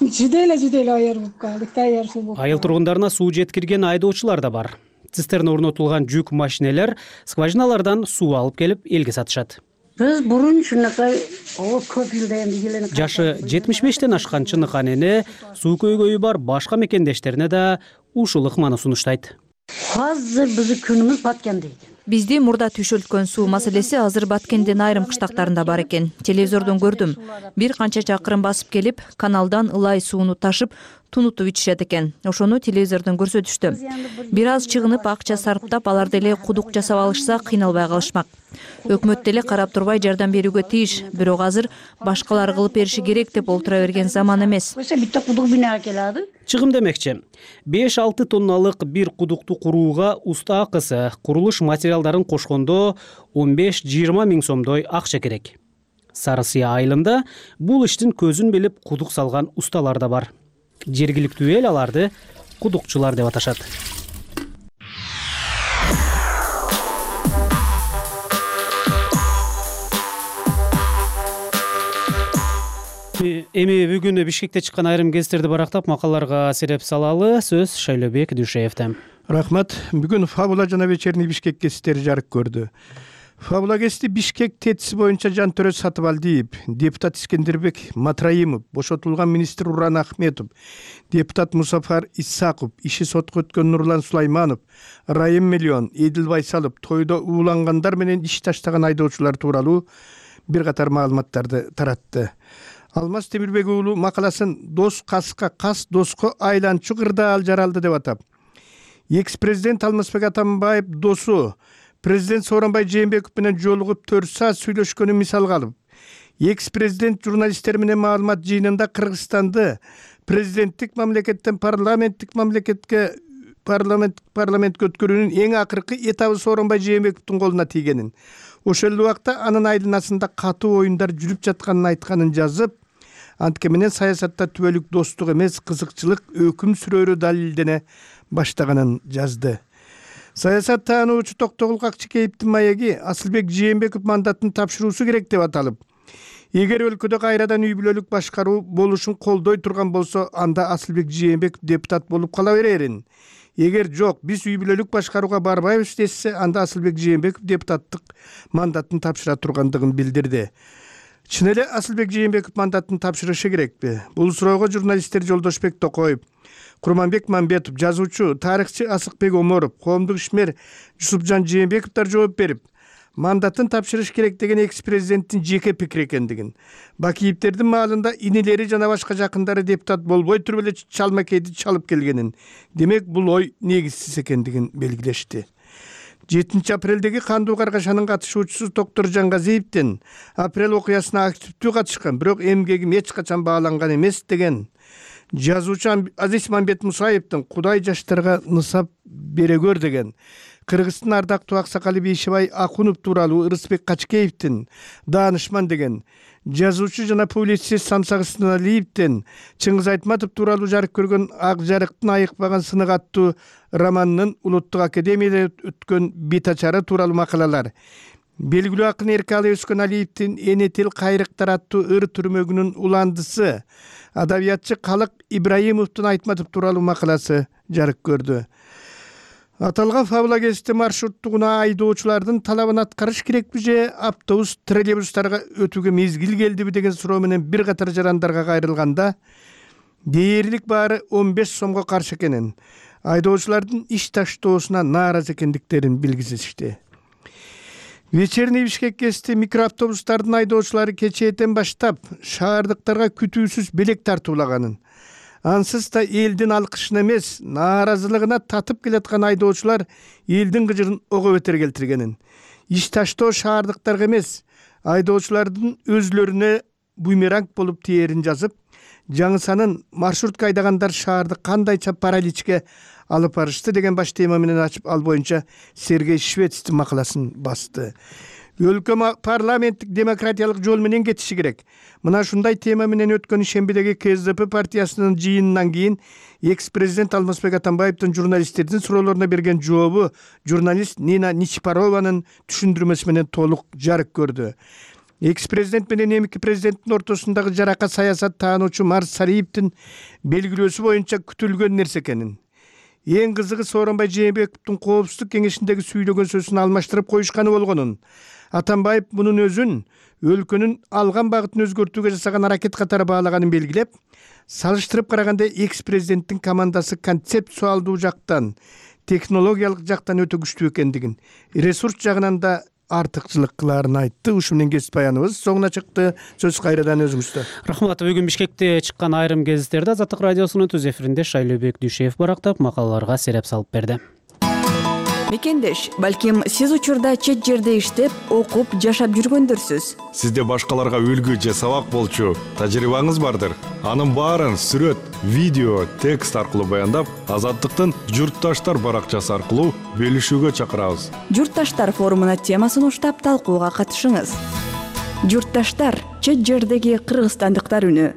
Жиделе жиделе айырып калдык, даяр суу болуп. Айыл тургундарына суу жеткирген айдоочулар да бар. Цистерна орнотулган жүк машинелер скважиналардан суу алып келип элге сатышат. Биз бурун ушунакай көп жылда энди келени. Жашы жетимиш бештен ашкан чыныкан эне суу көйгөйү бар башка мекендештерине да ушул ыкманы сунуштайт. Азыр биздин күнүмүз баткен дейт. Бизди мурда түшөлткөн суу маселеси азыр Баткендин айрым кыштактарында бар экен. Телевизордон көрдүм. Бир канча чакырым басып келип, каналдан ылай сууну ташып, тунутуп ичишет экен. Ошону телевизордон көрсөтүштү. Бир аз чыгынып, акча сарптап, алар деле кудук жасап алышса, кыйналбай калышмак. Өкмөт деле карап турбай жардам берүүгө тийиш. Бирок азыр башкалар кылып бериши керек деп олтура берген заман эмес. Битте кудук бина келadi. Чыгым демекчи. беш алты тонналык бир кудукту курууга уста акысы, курулуш материалдарын кошкондо он беш жыйырма миң сомдой акча керек. Сары Сыя айылында бул иштин көзүн билип кудук салган усталар да бар. жергиликтүү эл аларды кудукчулар деп аташат. Эми бүгүн Бишкекте чыккан айрым гезиттерди барактап макалаларга сереп салалы. Сөз Шайлообек Дүйшеевде. Рахмат. Бүгүн Фабула жана Вечерний Бишкек гезиттери жарык көрдү. Фабула гезити Бишкек тетиси боюнча Жантөрө Сатыбалдиев, депутат Искендербек Матраимов, бошотулган министр Уран Ахметов, депутат Мусафар Исаков, иши сотко өткөн Нурлан Сулайманов, Райым Миллион, Эдил Байсалов тойдо уулангандар менен иш таштаган айдоочулар тууралуу бир катар маалыматтарды таратты. Алмаз Темирбек уулу макаласын «Дос каска, кас доско айланчу кырдаал жаралды» деп атап, экс-президент Алмазбек Атамбаев досу президент Сооронбай Жээнбеков менен жолугуп төрт саат сүйлөшкөнүн мисалга алып, экс-президент журналисттер менен маалымат жыйынында Кыргызстанды президенттик мамлекеттен парламенттик мамлекетке парламент парламентке өткөрүүнүн эң акыркы этабы Сооронбай Жээнбековдун колуна тийгенин, ошол убакта анын айланасында катуу оюндар жүрүп жатканын айтканын жазып, антке менен саясатта түбөлүк достук эмес, кызыкчылык өкүм сүрөөрү далилдене баштаганын жазды. Саясат таануучу Токтогул Какчыкеевдин маеги Асылбек Жээнбеков мандатын тапшыруусу керек деп аталып, эгер өлкөдө кайрадан үй бүлөлүк башкаруу болушун колдой турган болсо, анда Асылбек Жээнбеков депутат болуп кала берерин. Эгер жок, биз үй бүлөлүк башкарууга барбайбыз десе, анда Асылбек Жээнбеков депутаттык мандатын тапшыра тургандыгын билдирди. Чын эле Асылбек Жээнбеков мандатын тапшырышы керекпи? Бул суроого журналисттер Жолдошбек Токоев, Курманбек Мамбетов, жазуучу, тарыхчы Асыкбек Оморов, коомдук ишмер Жусупжан Жээнбековдор жооп берип, мандатын тапшырыш керек деген экс-президенттин жеке пикири экендигин, Бакиевдердин маалында инилери жана башка жакындары депутат болбой туруп эле чалмакейди чалып келгенин, демек бул ой негизсиз экендигин белгилешти. жетинчи апрелдеги кандуу каргашанын катышуучусу Токтор Жангазиевдин апрель окуясына активдүү катышкан, бирок эмгегим эч качан бааланган эмес деген жазуучу Азиз Мамбет Мусаевдин Кудай жаштарга нысап бере көр деген, Кыргыздын ардактуу аксакалы Бейшебай Акунов тууралуу Ырысбек Качкеевдин Даанышман деген, жазуучу жана публицист Самсак Ысыналиевдин Чыңгыз Айтматов тууралуу жарык көргөн Ак жарыктын айыкпаган сынык аттуу романынын Улуттук академияда өткөн битачары тууралуу макалалар, белгилүү акын Эркалы Өскөн Алиевдин Эне тил кайрыктар аттуу ыр түрмөгүнүн уландысы, адабиятчы Калык Ибраимовдун Айтматов тууралуу макаласы жарык көрдү. Аталган Фабула гезити маршруттугуна айдоочулардын талабын аткарыш керекпи же автобус, троллейбустарга өтүүгө мезгил келдиби деген суроо менен бир катар жарандарга кайрылганда, дээрлик баары он беш сомго каршы экенин, айдоочулардын иш таштоосуна нааразы экендиктерин билгизишти. Вечерний Бишкек гезити микроавтобустардын айдоочулары кечээден баштап шаардыктарга күтүүсүз белек тартуулаганын, ансыз да элдин алкышына эмес, нааразылыгына татып келаткан айдоочулар элдин кыжырын ого бетер келтиргенин, иш таштоо шаардыктарга эмес, айдоочулардын өзүлөрүнө бумеранг болуп тиерин жазып, жаңысанын маршрутка айдагандар шаарды кандайча параличке алып барышты деген баш тема менен ачып, ал боюнча Сергей Швецтин макаласын басты. Өлкө парламенттик демократиялык жол менен кетиши керек. Мына ушундай тема менен өткөн шембидеги КСДП партиясынын жыйынынан кийин экс-президент Алмазбек Атамбаевдин журналисттердин суроолоруна берген жообу журналист Нина Ничипарованын түшүндүрмөсү менен толук жарык көрдү. Экс-президент менен эмки президенттин ортосундагы жарака саясат таануучу Марс Сариевдин белгилөөсү боюнча күтүлгөн нерсе экенин, эң кызыгы Сооронбай Жээнбековдун коопсуздук кеңешиндеги сүйлөгөн сөзүн алмаштырып коюшканы болгонун, Атамбаев мунун өзүн өлкөнүн алган багытын өзгөртүүгө жасаган аракет катары баалаганын белгилеп, салыштырып караганда экс-президенттин командасы концептуалдуу жактан, технологиялык жактан өтө күчтүү экендигин, ресурс жагынан да артыкчылык кылаарын айтты. Ушу менен кесип баяныбыз соңуна чыкты. Сөз кайрадан өзүңүздө. Рахмат. Бүгүн Бишкекте чыккан айрым гезиттерди Азаттык радиосунун түз эфиринде Шайлообек Дүйшеев барактап макалаларга сереп салып берди. Мекендеш, балким сиз учурда чет жерде иштеп, окуп, жашап жүргөндөрсүз. Сизде башкаларга үлгү же сабак болчу тажрыйбаңыз бардыр. Анын баарын сүрөт, видео, текст аркылуу баяндап, Азаттыктын Журтташтар баракчасы аркылуу бөлүшүүгө чакырабыз. Журтташтар форумуна темасын уштап талкууга катышыңыз. Журтташтар — чет жердеги кыргызстандыктар үнү.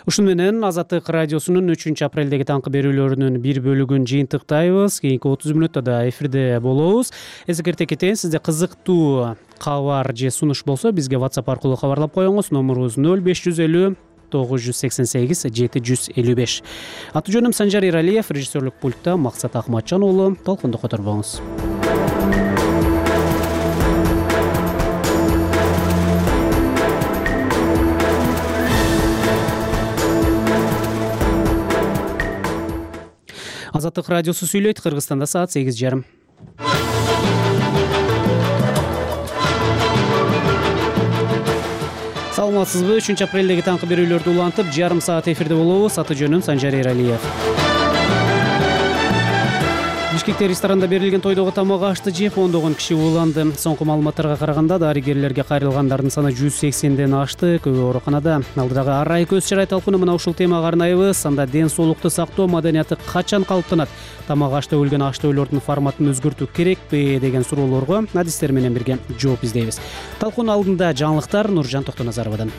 Ушуну менен Азаттык радиосунун үчүнчү апрелдеги таңкы берүүлөрүнүн бир бөлүгүн жыйынтыктайбыз. Кийинки отуз мүнөттө да эфирде болобуз. Эсекерте кетейин, сизде кызыктуу кабар же сунуш болсо бизге WhatsApp аркылуу кабарлап коюңуз. Номерубуз ноль беш жүз элүү тогуз жүз сексен сегиз жети жүз элүү беш. Аты жөнүм Санжар Иралиев, режиссерлук пультта Максат Акматжан уулу. Толкунду которбоңуз. Азаттык радиосу сүйлөйт. Кыргызстанда саат сегиз жарым. Саламатсызбы? үчүнчү апрелдеги таңкы берүүлөрдү улантып, жарым саат эфирде болобуз. Аты жөнүм Санжар Иралиев. Бишкекте ресторанда берилген тойдогу тамак ашты жеп ондогон киши ууланды. Соңку маалыматтарга караганда дарыгерлерге кайрылгандардын саны жүз сексенден ашты. Көбү ооруканада. Алдыдагы арай көз чарай талкууну мына ушул темага арнайбыз. Анда ден соолукту сактоо маданияты качан калыптанат? Тамак ашты өлгөн аштөөлөрдүн форматын өзгөртүү керекпи деген суроолорго адистер менен бирге жооп издейбиз. Талкуунун алдында жаңылыктар Нуржан Токтоназаровадан.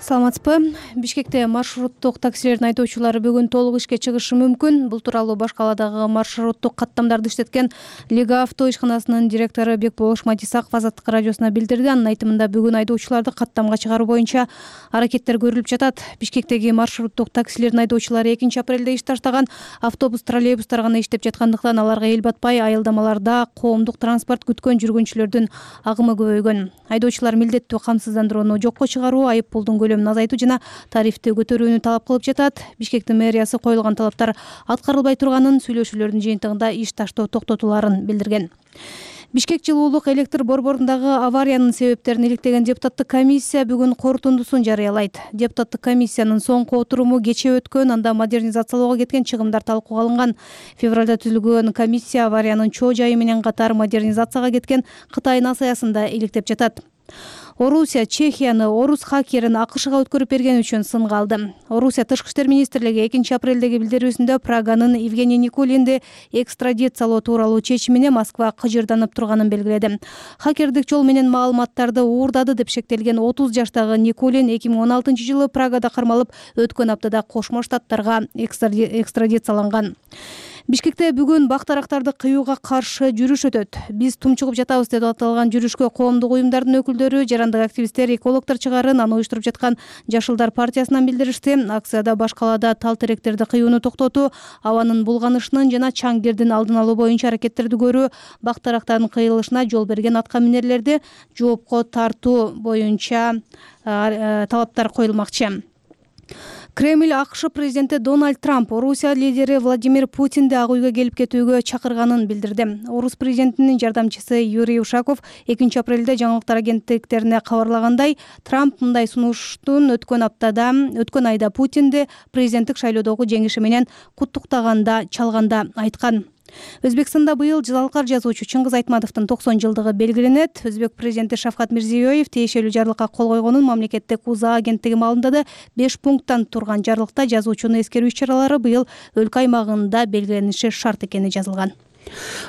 Саламатсызбы? Бишкекте маршруттук таксилердин айдоочулары бүгүн толук ишке чыгышы мүмкүн. Бул тууралуу баш калаадагы маршруттук каттамдарды иштеткен Лига авто ишканасынын директору Бекболош Матисаков Азаттык радиосуна билдирди. Анын айтымында бүгүн айдоочуларды каттамга чыгаруу боюнча аракеттер көрүлүп жатат. Бишкектеги маршруттук таксилердин айдоочулары экинчи апрелде иш таштаган автобус, троллейбустар гана иштеп жаткандыктан аларга эл батпай айылдамаларда коомдук транспорт күткөн жүргүнчүлөрдүн агымы көбөйгөн. Айдоочулар милдеттүү камсыздандырууну жокко чыгаруу, айып пулдун көлөмүн азайтуу жана тарифти көтөрүүнү талап кылып жатат. Бишкектин мэриясы коюлган талаптар аткарылбай турганын, сүйлөшүүлөрдүн жыйынтыгында иш таштоо токтотуларын билдирген. Бишкек жылуулук электр борборундагы авариянын себептерин иликтеген депутаттык комиссия бүгүн корутундусун жарыялайт. Депутаттык комиссиянын соңку отуруму кечээ өткөн, анда модернизациялоого кеткен чыгымдар талкууга алынган. Февралда түзүлгөн комиссия авариянын чоо жайы менен катар модернизацияга кеткен Кытай насаясын да иликтеп жатат. Орусия Чехияны орус хакерин АКШга өткөрүп берген үчүн сынга алды. Орусия тышкы иштер министрлиги экинчи апрелдеги билдирүүсүндө Праганын Евгений Никулинди экстрадициялоо тууралуу чечимине Москва кыжырданып турганын белгиледи. Хакердик жол менен маалыматтарды уурдады деп шектелген отуз жаштагы Никулин эки миң он алтынчы жылы Прагада кармалып, өткөн аптада Кошмо Штаттарга экстрадицияланган. Бишкекте бүгүн бактарактарды кыюуга каршы жүрүш өтөт. Биз тумчугуп жатабыз деп аталган жүрүшкө коомдук уюмдардын өкүлдөрү, жарандык активисттер, экологдор чыгарын, аны уюштуруп жаткан Жашылдар партиясынан билдиришти. Акцияда баш калаада тал теректерди кыюуну токтотуу, абанын булганышынын жана чаң кирдин алдын алуу боюнча аракеттерди көрүү, бактарактардын кыйылышына жол берген атка минерлерди жоопко тартуу боюнча талаптар коюлмакчы. Кремль АКШ президенти Дональд Трамп Орусия лидери Владимир Путинди Ак үйгө келип кетүүгө чакырганын билдирди. Орус президентинин жардамчысы Юрий Ушаков экинчи апрелде жаңылыктар агенттиктерине кабарлагандай, Трамп мындай сунуштун өткөн аптада, өткөн айда Путинди президенттик шайлоодогу жеңиши менен куттуктаганда чалганда айткан. Өзбекстанда быйыл залкар жазуучу Чыңгыз Айтматовдун токсон жылдыгы белгиленет. Өзбек президенти Шавкат Мирзиёев тиешелүү жарлыкка кол койгонун мамлекеттик УЗА агенттиги маалымдады. беш пункттан турган жарлыкта жазуучуну эскерүү иш-чаралары быйыл өлкө аймагында белгилениши шарт экени жазылган.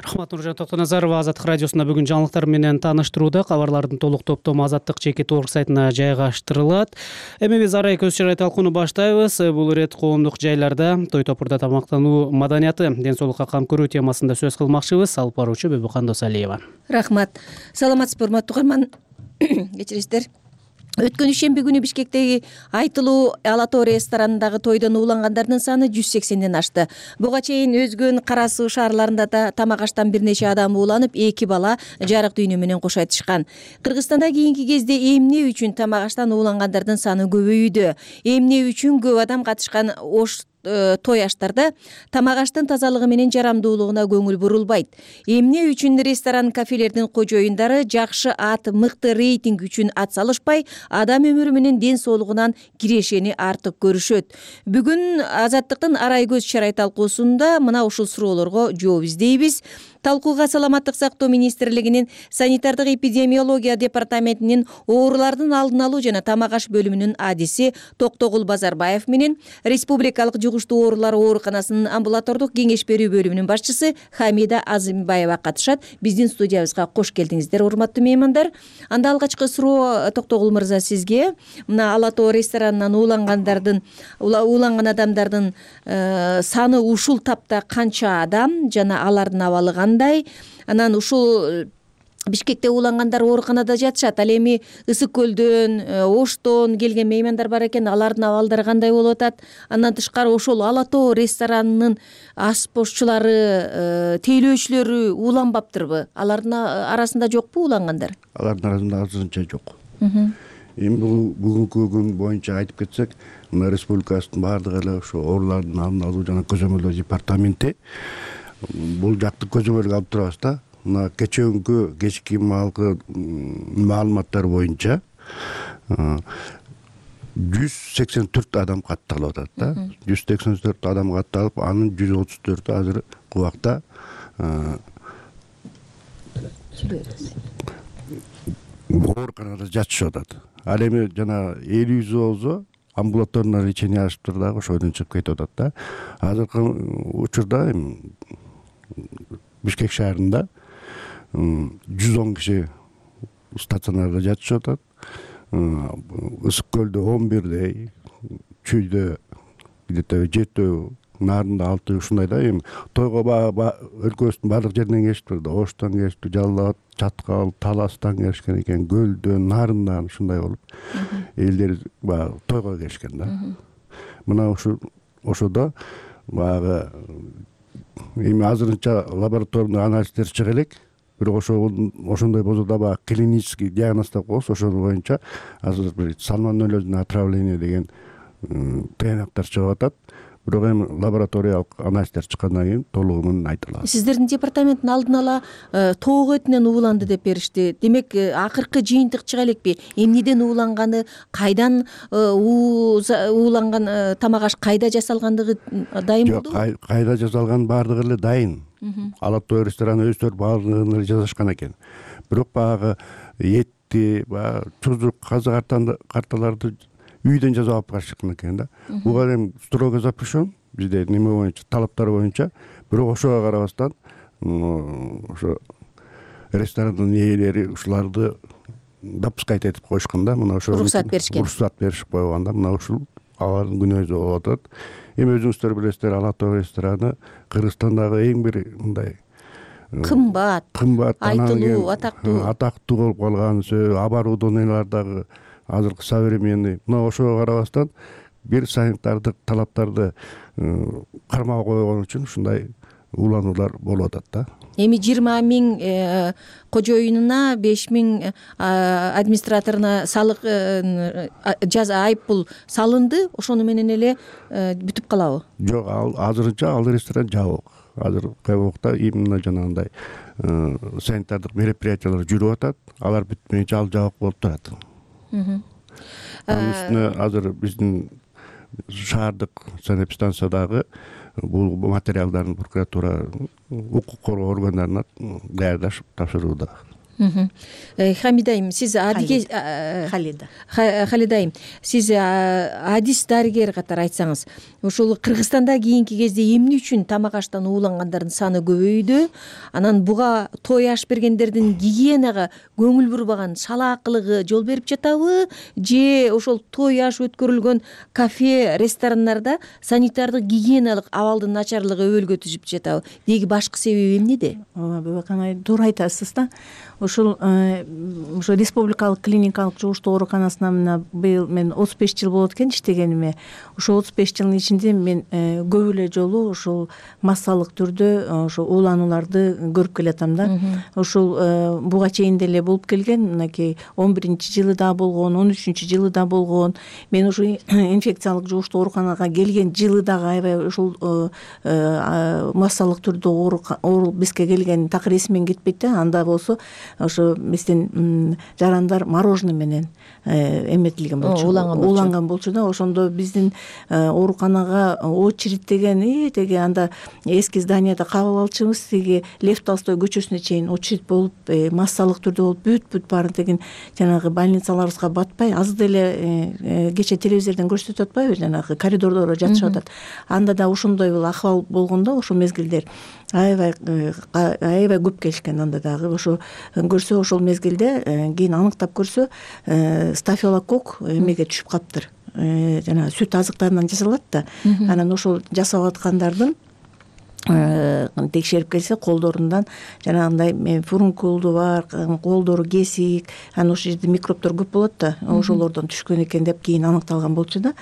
Рахмат, Нуржан Токтоназарова Азаттык радиосунда бүгүн жаңылыктар менен тааныштырууда. Кабарлардын толук топтому Азаттык жеке торг сайтына жайгаштырылат. Эми биз арай көз чарай талкууну баштайбыз. Бул ирет коомдук жайларда той топурда тамактануу маданияты, ден соолукка кам көрүү темасында сөз кылмакчыбыз. Алып баруучу Бөбүкан Досалиева. Рахмат. Саламатсызбы, урматтуу угарман. Кечиресиздер. Өткөн ишемби күнү Бишкектеги айтылуу Ала Тоо ресторанындагы тойдон уулангандардын саны жүз сексенден ашты. Буга чейин өзгөн Кара Суу шаарларында да тамак аштан бир нече адам ууланып, эки бала жарык дүйнө менен кош айтышкан. Кыргызстанда кийинки кезде эмне үчүн тамак аштан уулангандардын саны көбөйүүдө? Эмне үчүн көп адам катышкан ош той аштарда тамак аштын тазалыгы менен жарамдуулугуна көңүл бурулбайт? Эмне үчүн ресторан, кафелердин кожоюндары жакшы ат, мыкты рейтинг үчүн ат салышпай, адам өмүрү менен ден соолугунан кирешени артык көрүшөт? Бүгүн Азаттыктын арай көз чарай талкуусунда мына ушул суроолорго жооп издейбиз. талкууга саламаттык сактоо министрлигинин санитардык эпидемиология департаментинин оорулардын алдын алуу жана тамак аш бөлүмүнүн адиси Токтогул Базарбаев менен Республикалык жугуштуу оорулар ооруканасынын амбулатордук кеңеш берүү бөлүмүнүн башчысы Хамида Азимбаева катышат. Биздин студиябызга кош келдиңиздер, урматтуу меймандар. Анда алгачкы суроо Токтогул мырза сизге. Мына Ала Тоо ресторанынан уулангандардын ууланган адамдардын саны ушул тапта канча адам жана алардын абалы кандай? Анан ушул Бишкекте уулангандар ооруканада жатышат. Ал эми Ысык көлдөн, Оштон келген меймандар бар экен. Алардын абалдары кандай болуп атат? Андан тышкары ошол Ала Тоо ресторанынын ашпозчулары, тейлөөчүлөрү ууланбаптырбы? Алардын арасында жокпу уулангандар? Алардын арасында азырынча жок. Эми бүгүнкү күн боюнча айтып кетсек, мына республикабыздын баардык эле ошо оорулардын алдын алуу жана көзөмөлдөө департаменти бул жакты көзөмөлгө алып турабыз да. Мына кечээкүнкү кечки маалкы маалыматтар боюнча жүз сексен төрт адам катталып атат да. жүз сексен төрт адам катталып, анын жүз отуз төртү азыр убакта ооруканада жатышып атат. Ал эми жана элүүсү болсо амбулаторное лечение алышыптыр дагы ошойдон чыгып кетип атат да. Азыркы учурда эми Бишкек шаарында жүз он киши стационарда жатышып атат. Ысык көлдө он бирдей, Чүйдө где-то жетөө, Нарында алты, ушундай да. Эми тойго өлкөбүздүн баардык жеринен келишиптир да. Оштон келишти, Жалал Абад, Чаткал, Таластан келишкен экен, Көлдөн, Нарындан ушундай болуп элдер баягы тойго келишкен да. Мына ушу ошодо баягы эми азырынча лабораторный анализдер чыга элек. Бирок ошондой болсо да баягы клинический диагноз деп коебуз, ошол боюнча азыр бир сальмонеллезное отравление деген тыянактар чыгып атат. Бирок эми лабораториялык анализдер чыккандан кийин толугу менен айта алабыз. Сиздердин департаменттин алдын ала тоого этинен ууланды деп беришти. Демек, акыркы жыйынтык чыга элекпи? Эмнеден ууланганы, кайдан ууланган, тамак аш кайда жасалгандыгы дайын болдубу? Жок, кайда жасалган баардыгы эле дайын. Ала Тоо рестораны өздөрү баардыгын эле жасашкан экен. Бирок баягы этти, баягы чузук, казы карталарды үйдөн жасап алып калышкан экен да. Буга эми строго запрещен бизде неме боюнча, талаптар боюнча. Бирок ошого карабастан ошо ресторандын ээлери ушуларды допускать этип коюшкан да. Мына ошо уруксат беришкен. Уруксат беришип койгон да. Мына ушул алардын күнөөсү болуп атат. Эми өзүңүздөр билесиздер, Ала Тоо рестораны Кыргызстандагы эң бир мындай кымбат, кымбат, айтылуу, атактуу атактуу болуп калган, оборудованиялар дагы азыркы современный. Мына ошого карабастан бир санитардык талаптарды кармабай койгон үчүн ушундай уулануулар болуп атат да. Эми жыйырма миң кожоюнуна, беш миң администраторуна салык жаза айыппул салынды. Ошону менен эле бүтүп калабы? Жок, азырынча ал ресторан жабык. Азыр кайбокта именно жанагындай санитардык мероприятиялар жүрүп атат. Алар бүтмөйүнчө ал жабык болуп турат. Анын үстүнө азыр биздин шаардык санэпидстанциядагы бул материалдарын прокуратура, укук коргоо органдарына даярдашып тапшырууда. Хамида айым, сиз адиге Халида. Халида айым, сиз адис дарыгер катары айтсаңыз, ошол Кыргызстанда кийинки кезде эмне үчүн тамак аштан уулангандардын саны көбөйдү? Анан буга той аш бергендердин гигиенага көңүл бурбаган салаакылыгы жол берип жатабы? Же ошол той аш өткөрүлгөн кафе, ресторандарда санитардык гигиеналык абалдын начарлыгы өбөлгө түзүп жатабы? Деги башкы себеби эмнеде? Ооба, Бебакан, туура айтасыз да. Ошол ошо республикалык клиникалык жугуштуу ооруканасына мына быйыл мен отуз беш жыл болот экен иштегениме. Ошо отуз беш жылдын ичинде мен көп эле жолу ошол массалык түрдө ошо ууланууларды көрүп келатам да. Ошол буга чейин деле болуп келген, мынакей он биринчи жылы да болгон, он үчүнчү жылы да болгон. Мен ошо инфекциялык жугуштуу ооруканага келген жылы дагы аябай ошол массалык түрдө оору бизге келген так эсимен кетпейт да. Анда болсо ошо биздин жарандар мороженое менен эметилген болчу, ууланган болчу да. Ошондо биздин ооруканага очередь деген теги анда эски зданияда кабыл алчубыз, тиги Лев Толстой көчөсүнө чейин очередь болуп, массалык түрдө болуп, бүт бүт баарын деген жанагы больницаларыбызга батпай, азыр деле кечээ телевизордон көрсөтүп атпайбы, жанагы коридордо жатышып атат. Анда да ошондой бул акыбал болгондо, ошол мезгилдер аябай аябай көп келишкен. Анда дагы ошо көрсө, ошол мезгилде кийин аныктап көрсө, стафилококк эмеге түшүп калыптыр, жанагы сүт азыктарынан жасалат да. Анан ошол жасап аткандардын текшерип келсе, колдорундан жанагындай фурункулду бар, колдору кесик, анан ошол жерде микробдор көп болот да, ошолордон түшкөн экен деп кийин аныкталган болчу да.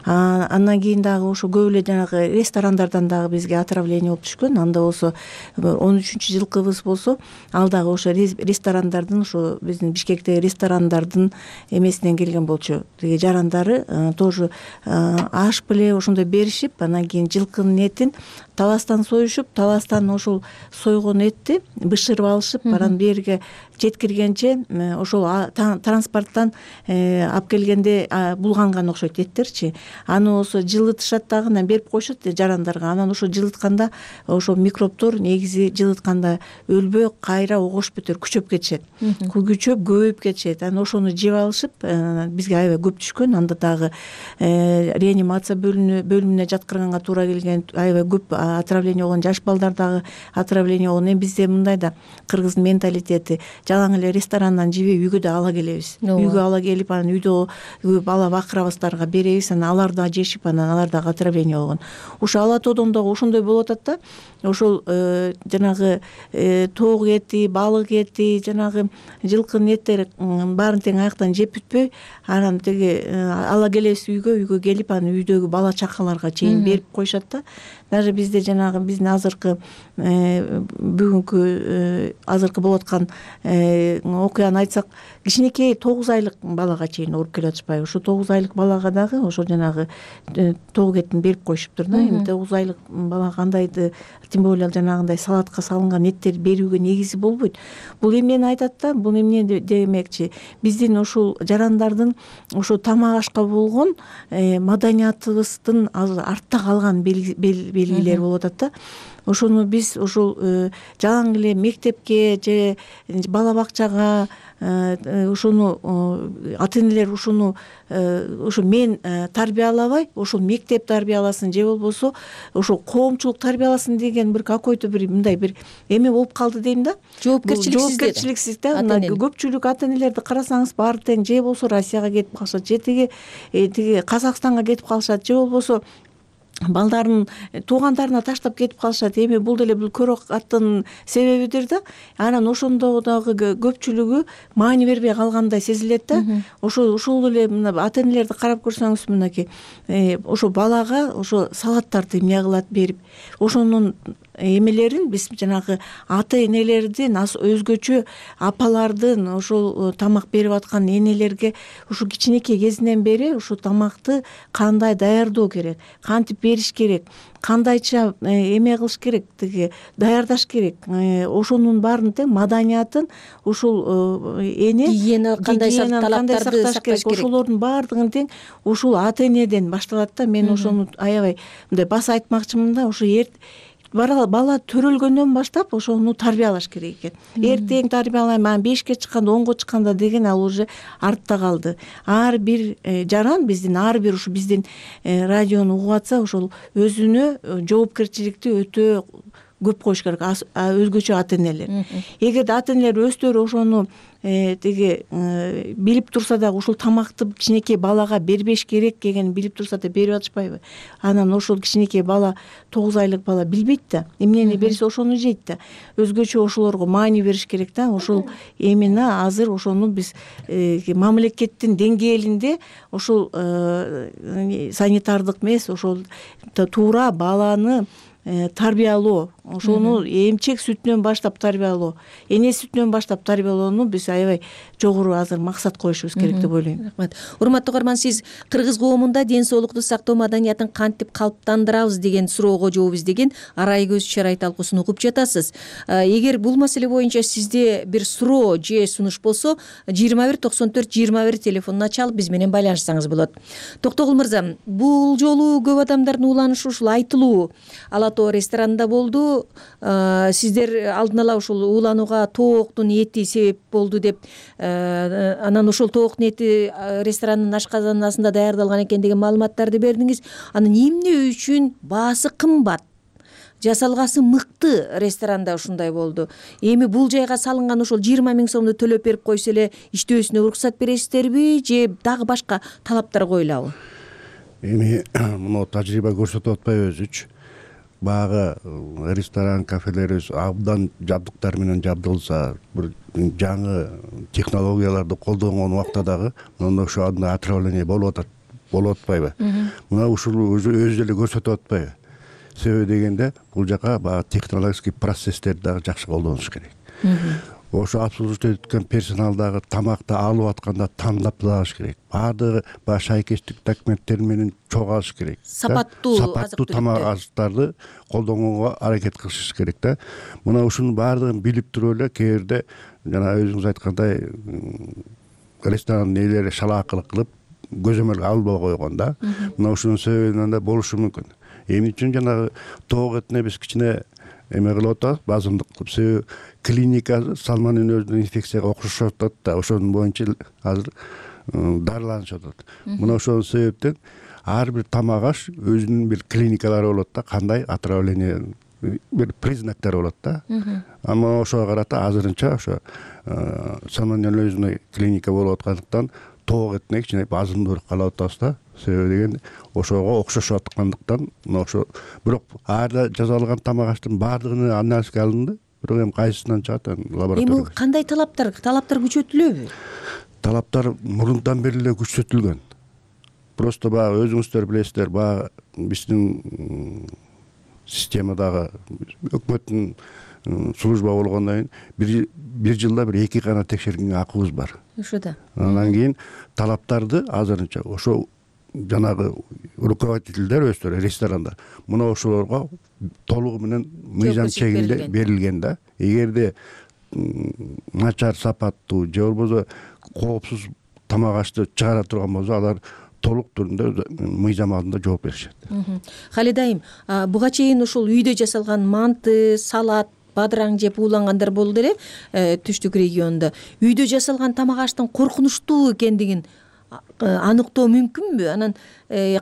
Андан кийин дагы ошо көп эле жанагы ресторандардан дагы бизге отравление болуп түшкөн. Анда болсо он үчүнчү жылкыбыз болсо, ал дагы ошо ресторандардын, ошо биздин Бишкектеги ресторандардын эмесинен келген болчу. Тиги жарандары тоже аш беле ошондой беришип, анан кийин жылкынын этин таластан союшуп, таластан ошол сойгон этти бышырып алышып, анан берге жеткиргенче ошол транспорттан алып келгенде булганган окшойт эттерчи. Аны болсо жылытышат дагы, анан берип коюшат жарандарга. Анан ошо жылытканда ошо микробдор негизи жылытканда өлбөй кайра огош бетер күчөп кетишет. Күчөп көбөйүп кетишет. Анан ошону жеп алышып, бизге аябай көп түшкөн. Анда дагы реанимация бөлүмүнө жаткырганга туура келген, аябай көп отравление болгон, жаш балдар дагы отравление болгон. Эми бизде мындай да, кыргыздын менталитети, жалаң эле ресторандан жебей үйгө да ала келебиз. Үйгө ала келип, анан үйдө бала бакырабыздарга беребиз, анан алар да жешип, анан алар дагы отравление болгон. Ошо Ала тоодон дагы ошондой болуп атат да. Ошол жанагы тоок эти, балык эти, жанагы жылкынын эттери баарын тең аяктан жеп бүтпөй, анан теги ала келебиз үйгө, үйгө келип, анан үйдөгү бала чакаларга чейин берип коюшат да. Даже бизде жанагы биздин азыркы бүгүнкү азыркы болуп аткан окуяны айтсак, кичинекей тогуз айлык балага чейин ооруп келип атышпайбы? Ошо тогуз айлык балага дагы ошо жанагы тоок этин берип коюшуптур да. Эми тогуз айлык бала кандайды, тем более жанагындай салатка салынган эттерди берүүгө негизи болбойт. Бул эмнени айтат да? Бул эмне демекчи? Биздин ушул жарандардын ошо тамак ашка болгон маданиятыбыздын артта калган белгилери болуп атат да. Ошону биз ошол жалаң эле мектепке же бала бакчага ошону ата-энелер ошону ошо мен тарбиялабай, ошол мектеп тарбияласын же болбосо ошол коомчулук тарбияласын деген бир какой-то бир мындай бир эме болуп калды дейм да. Жоопкерчиликсиз да. Көпчүлүк ата-энелерди карасаңыз баары тең же болбосо Россияга кетип калышат, же тиги тиги Казакстанга кетип калышат, же болбосо балдарын туугандарына таштап кетип калышат. Эми бул деле бул көрөк аттын себебидир да. Анан ошондо дагы көпчүлүгү маани бербей калгандай сезилет да. Ошо ушул эле мына ата-энелерди карап көрсөңүз, мынакей ошо балага ошо салаттарды эмне кылат берип, ошонун эмелерин биз жанагы ата-энелердин, өзгөчө апалардын ошол тамак берип аткан энелерге ушу кичинекей кезинен бери ушу тамакты кандай даярдоо керек, кантип бериш керек, кандайча эме кылыш керек, тиги даярдаш керек, ошонун баарын тең маданиятын, ушул эне гигиена кандай талаптарды сакташ керек, ошолордун баардыгын тең ушул ата-энеден башталат да. Мен ошону аябай мындай баса айтмакчымын да. Ошо бала төрөлгөндөн баштап ошону тарбиялаш керек экен. Эртең тарбиялайм, анан бешке чыкканда, онго чыкканда деген ал уже артта калды. Ар бир жаран, биздин ар бир ушу биздин радиону угуп атса, ошол өзүнө жоопкерчиликти өтө көп коюш керек, өзгөчө ата-энелер. Эгерде ата-энелер өздөрү ошону тиги билип турса дагы, ушул тамакты кичинекей балага бербеш керек дегенин билип турса да берип атышпайбы? Анан ошол кичинекей бала, тогуз айлык бала билбейт да, эмнени берсе ошону жейт да. Өзгөчө ошолорго маани бериш керек да. Ошол именно азыр ошону биз мамлекеттин деңгээлинде ошол санитардык эмес, ошол туура баланы тарбиялоо, ошону эмчек сүтүнөн баштап тарбиялоо, эне сүтүнөн баштап тарбиялоону биз аябай жогору азыр максат коюшубуз керек деп ойлойм. Рахмат. Урматтуу угарман, сиз кыргыз коомунда ден соолукту сактоо маданиятын кантип калыптандырабыз деген суроого жооп издеген арай көз чарай талкуусун угуп жатасыз. Эгер бул маселе боюнча сизде бир суроо же сунуш болсо, жыйырма бир токсон төрт жыйырма бир телефонуна чалып биз менен байланышсаңыз болот. Токтогул мырза, бул жолу көп адамдардын уланышы ушул айтылуу Ала Тоо ресторанында болду. Сиздер алдын ала ушул ууланууга тооктун эти себеп болду деп, анан ошол тооктун эти ресторанын ашказанасында даярдалган экен деген маалыматтарды бердиңиз. Анан эмне үчүн баасы кымбат, жасалгасы мыкты ресторанда ушундай болду? Эми бул жайга салынган ошол жыйырма миң сомду төлөп берип койсо эле иштөөсүнө уруксат бересиздерби, же дагы башка талаптар коюлабы? Эми муну тажрыйба көрсөтүп атпайбы өзүчү? Багы ресторан, кафелерибиз абдан жабдыктар менен жабдылса, бир жаңы технологияларды колдонгон убакта дагы мына ошо отравление болуп атат, болуп атпайбы? Мына ушул өзү эле көрсөтүп атпайбы? Себеби дегенде бул жака баягы технологический процесстерди дагы жакшы колдонуш керек. Ошо обслуживать эткөн персонал дагы тамакты алып атканда тандап алыш керек. Баардыгы баягы шайкештик документтер менен чогуу алыш керек. Сапаттуу сапаттуу тамак азыктарды колдонгонго аракет кылыш керек да. Мына ушунун баардыгын билип туруп эле кээ бирде жана өзүңүз айткандай ресторан ээлери шалаакылык кылып көзөмөл албай койгон да. Мына ушунун себебинен да болушу мүмкүн. Эмне үчүн жанагы тоок этине биз кичине эме кылып атабыз, базымдык кылып. Себеби клиника салмандын өзүнүн инфекцияга окшошуп атат да, ошонун боюнча азыр дарыланышып атат. Мына ошол себептен ар бир тамак аш өзүнүн бир клиникалары болот да, кандай отравление бир признактары болот да. Ама ошого карата азырынча ошо салмонеллезный клиника болуп аткандыктан тоок этине кичине базымдуураак калып атабыз да. Себеби деген ошого окшошуп аткандыктан мына ошо, бирок аарда жасалган тамак аштын баардыгын анализге алынды. Бирок эми кайсысынан чыгат лаборатория. Эми кандай талаптар, талаптар күчөтүлөбү? Талаптар мурунтан бери эле күчөтүлгөн. Просто баягы өзүңүздөр билесиздер, баягы биздин системадагы өкмөттүн служба болгондон кийин бир жылда бир эки гана текшергенге акыбыз бар. Ошо да. Андан кийин талаптарды азырынча ошо жанагы руководителдер өздөрү ресторандар мына ошолорго толугу менен мыйзам чегинде берилген да. Эгерде начар сапаттуу же болбосо коопсуз тамак ашты чыгара турган болсо, алар толук түрүндө мыйзам алдында жооп беришет. Халидайым, буга чейин ушул үйдө жасалган манты, салат, бадыраң жеп уулангандар болду эле түштүк регионунда. Үйдө жасалган тамак аштын коркунучтуу экендигин аныктоо мүмкүнбү? Анан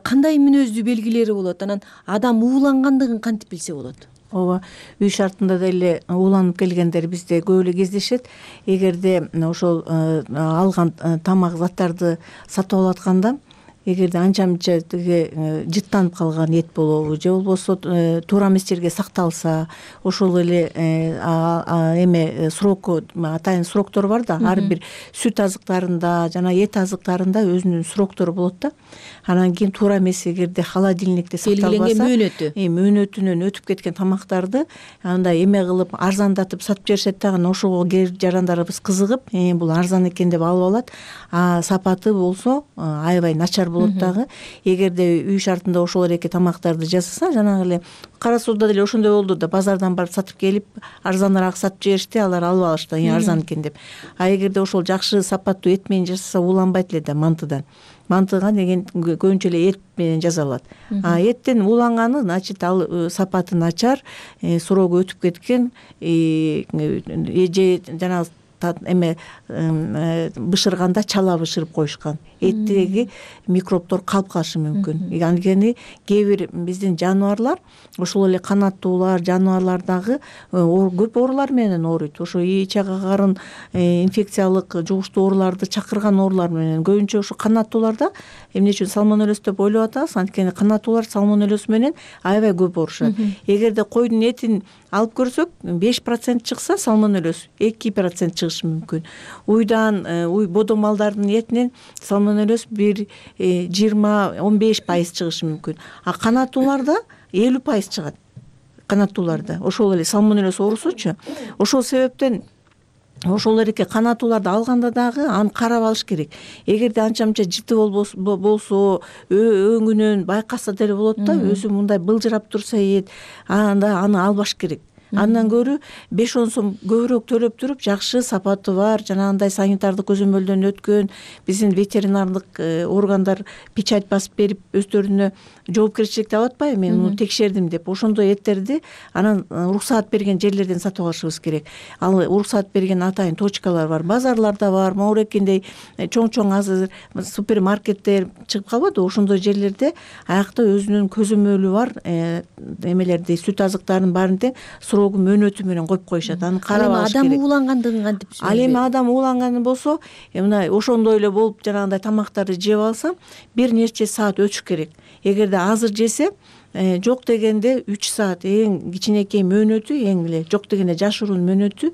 кандай мүнөздүү белгилери болот? Анан адам уулангандыгын кантип билсе болот? Ооба, үй шартында деле ууланып келгендер бизде көп эле кездешет. Эгерде ошол алган тамак заттарды сатып алатканда, эгерде анча мынча жыттанып калган эт болобу же болбосо туура эмес жерге сакталса, ошол эле эме срок, атайын сроктор бар да, ар бир сүт азыктарында жана эт азыктарында өзүнүн сроктору болот да. Анан кийин туура эмес эгерде холодильникте сакталбаса, мөөнөтү мөөнөтүнөн өтүп кеткен тамактарды андай эме кылып арзандатып сатып жиберишет да. Ошого кээ жарандарыбыз кызыгып, бул арзан экен деп алып алат. А сапаты болсо аябай начар болот дагы. Эгерде үй шартында ошол эки тамактарды жасаса, жанагы эле Кара Сууда деле ошондой болду да, базардан барып сатып келип арзаныраак сатып жиберишти, алар алып алышты, арзан экен деп. А эгерде ошол жакшы сапаттуу эт менен жасаса ууланбайт эле да мантыдан. Мантыга деген көбүнчө эле эт менен жасалат. А эттен ууланганы, значит, ал сапаты начар, срогу өтүп кеткен, же жана эме бышырганда чала бышырып коюшкан. Эттеги микробдор калып калышы мүмкүн. Анткени кээ бир биздин жаныбарлар, ошол эле канаттуулар, жаныбарлар дагы көп оорулар менен ооруйт. Ошо ич ага карын инфекциялык жугуштуу ооруларды чакырган оорулар менен көбүнчө ошо канаттууларда эмне үчүн салмонеллез деп ойлоп атабыз? Анткени канаттуулар салмонеллез менен аябай көп оорушат. Эгерде койдун этин алып көрсөк, беш процент чыкса салмонеллез, эки процент чыгышы мүмкүн. Уйдан, уй бодо малдардын этинен салмонеллез бир жыйырма он беш пайыз чыгышы мүмкүн. А канаттууларда элүү пайыз чыгат. канаттууларды, ошол эле сальмонеллез оорусучу. Ошол себептен ошол эреке канаттууларды алганда дагы аны карап алыш керек. Эгерде анча мынча жыты болсо, өңүнөн байкаса деле болот да, өзү мындай былжырап турса эт, анда аны албаш керек. Андан көрү беш он сом көбүрөөк төлөп туруп, жакшы сапаты бар, жанагындай санитардык көзөмөлдөн өткөн биздин ветеринардык органдар печать басып берип өздөрүнө жоопкерчиликти алып атпайбы, мен муну текшердим деп. Ошондой эттерди анан уруксаат берген жерлерден сатып алышыбыз керек. Ал уруксаат берген атайын точкалар бар, базарларда бар, моорекиндей чоң-чоң азыр супермаркеттер чыгып калбады, ошондой жерлерде аякта өзүнүн көзөмөлү бар эмелерди, сүт азыктарын баарын тең срогу мөөнөтү менен коюп коюшат. Аны карап алыш керек. Адам уулангандыгын кантип түшүнөт? Ал эми адам ууланганы болсо, мына ошондой эле болуп жанагындай тамактарды жеп алса, бир нече саат өтүш керек. Эгерде азыр жесе, жок дегенде үч саат, эң кичинекей мөөнөтү, эң эле жок дегенде жашыруун мөөнөтү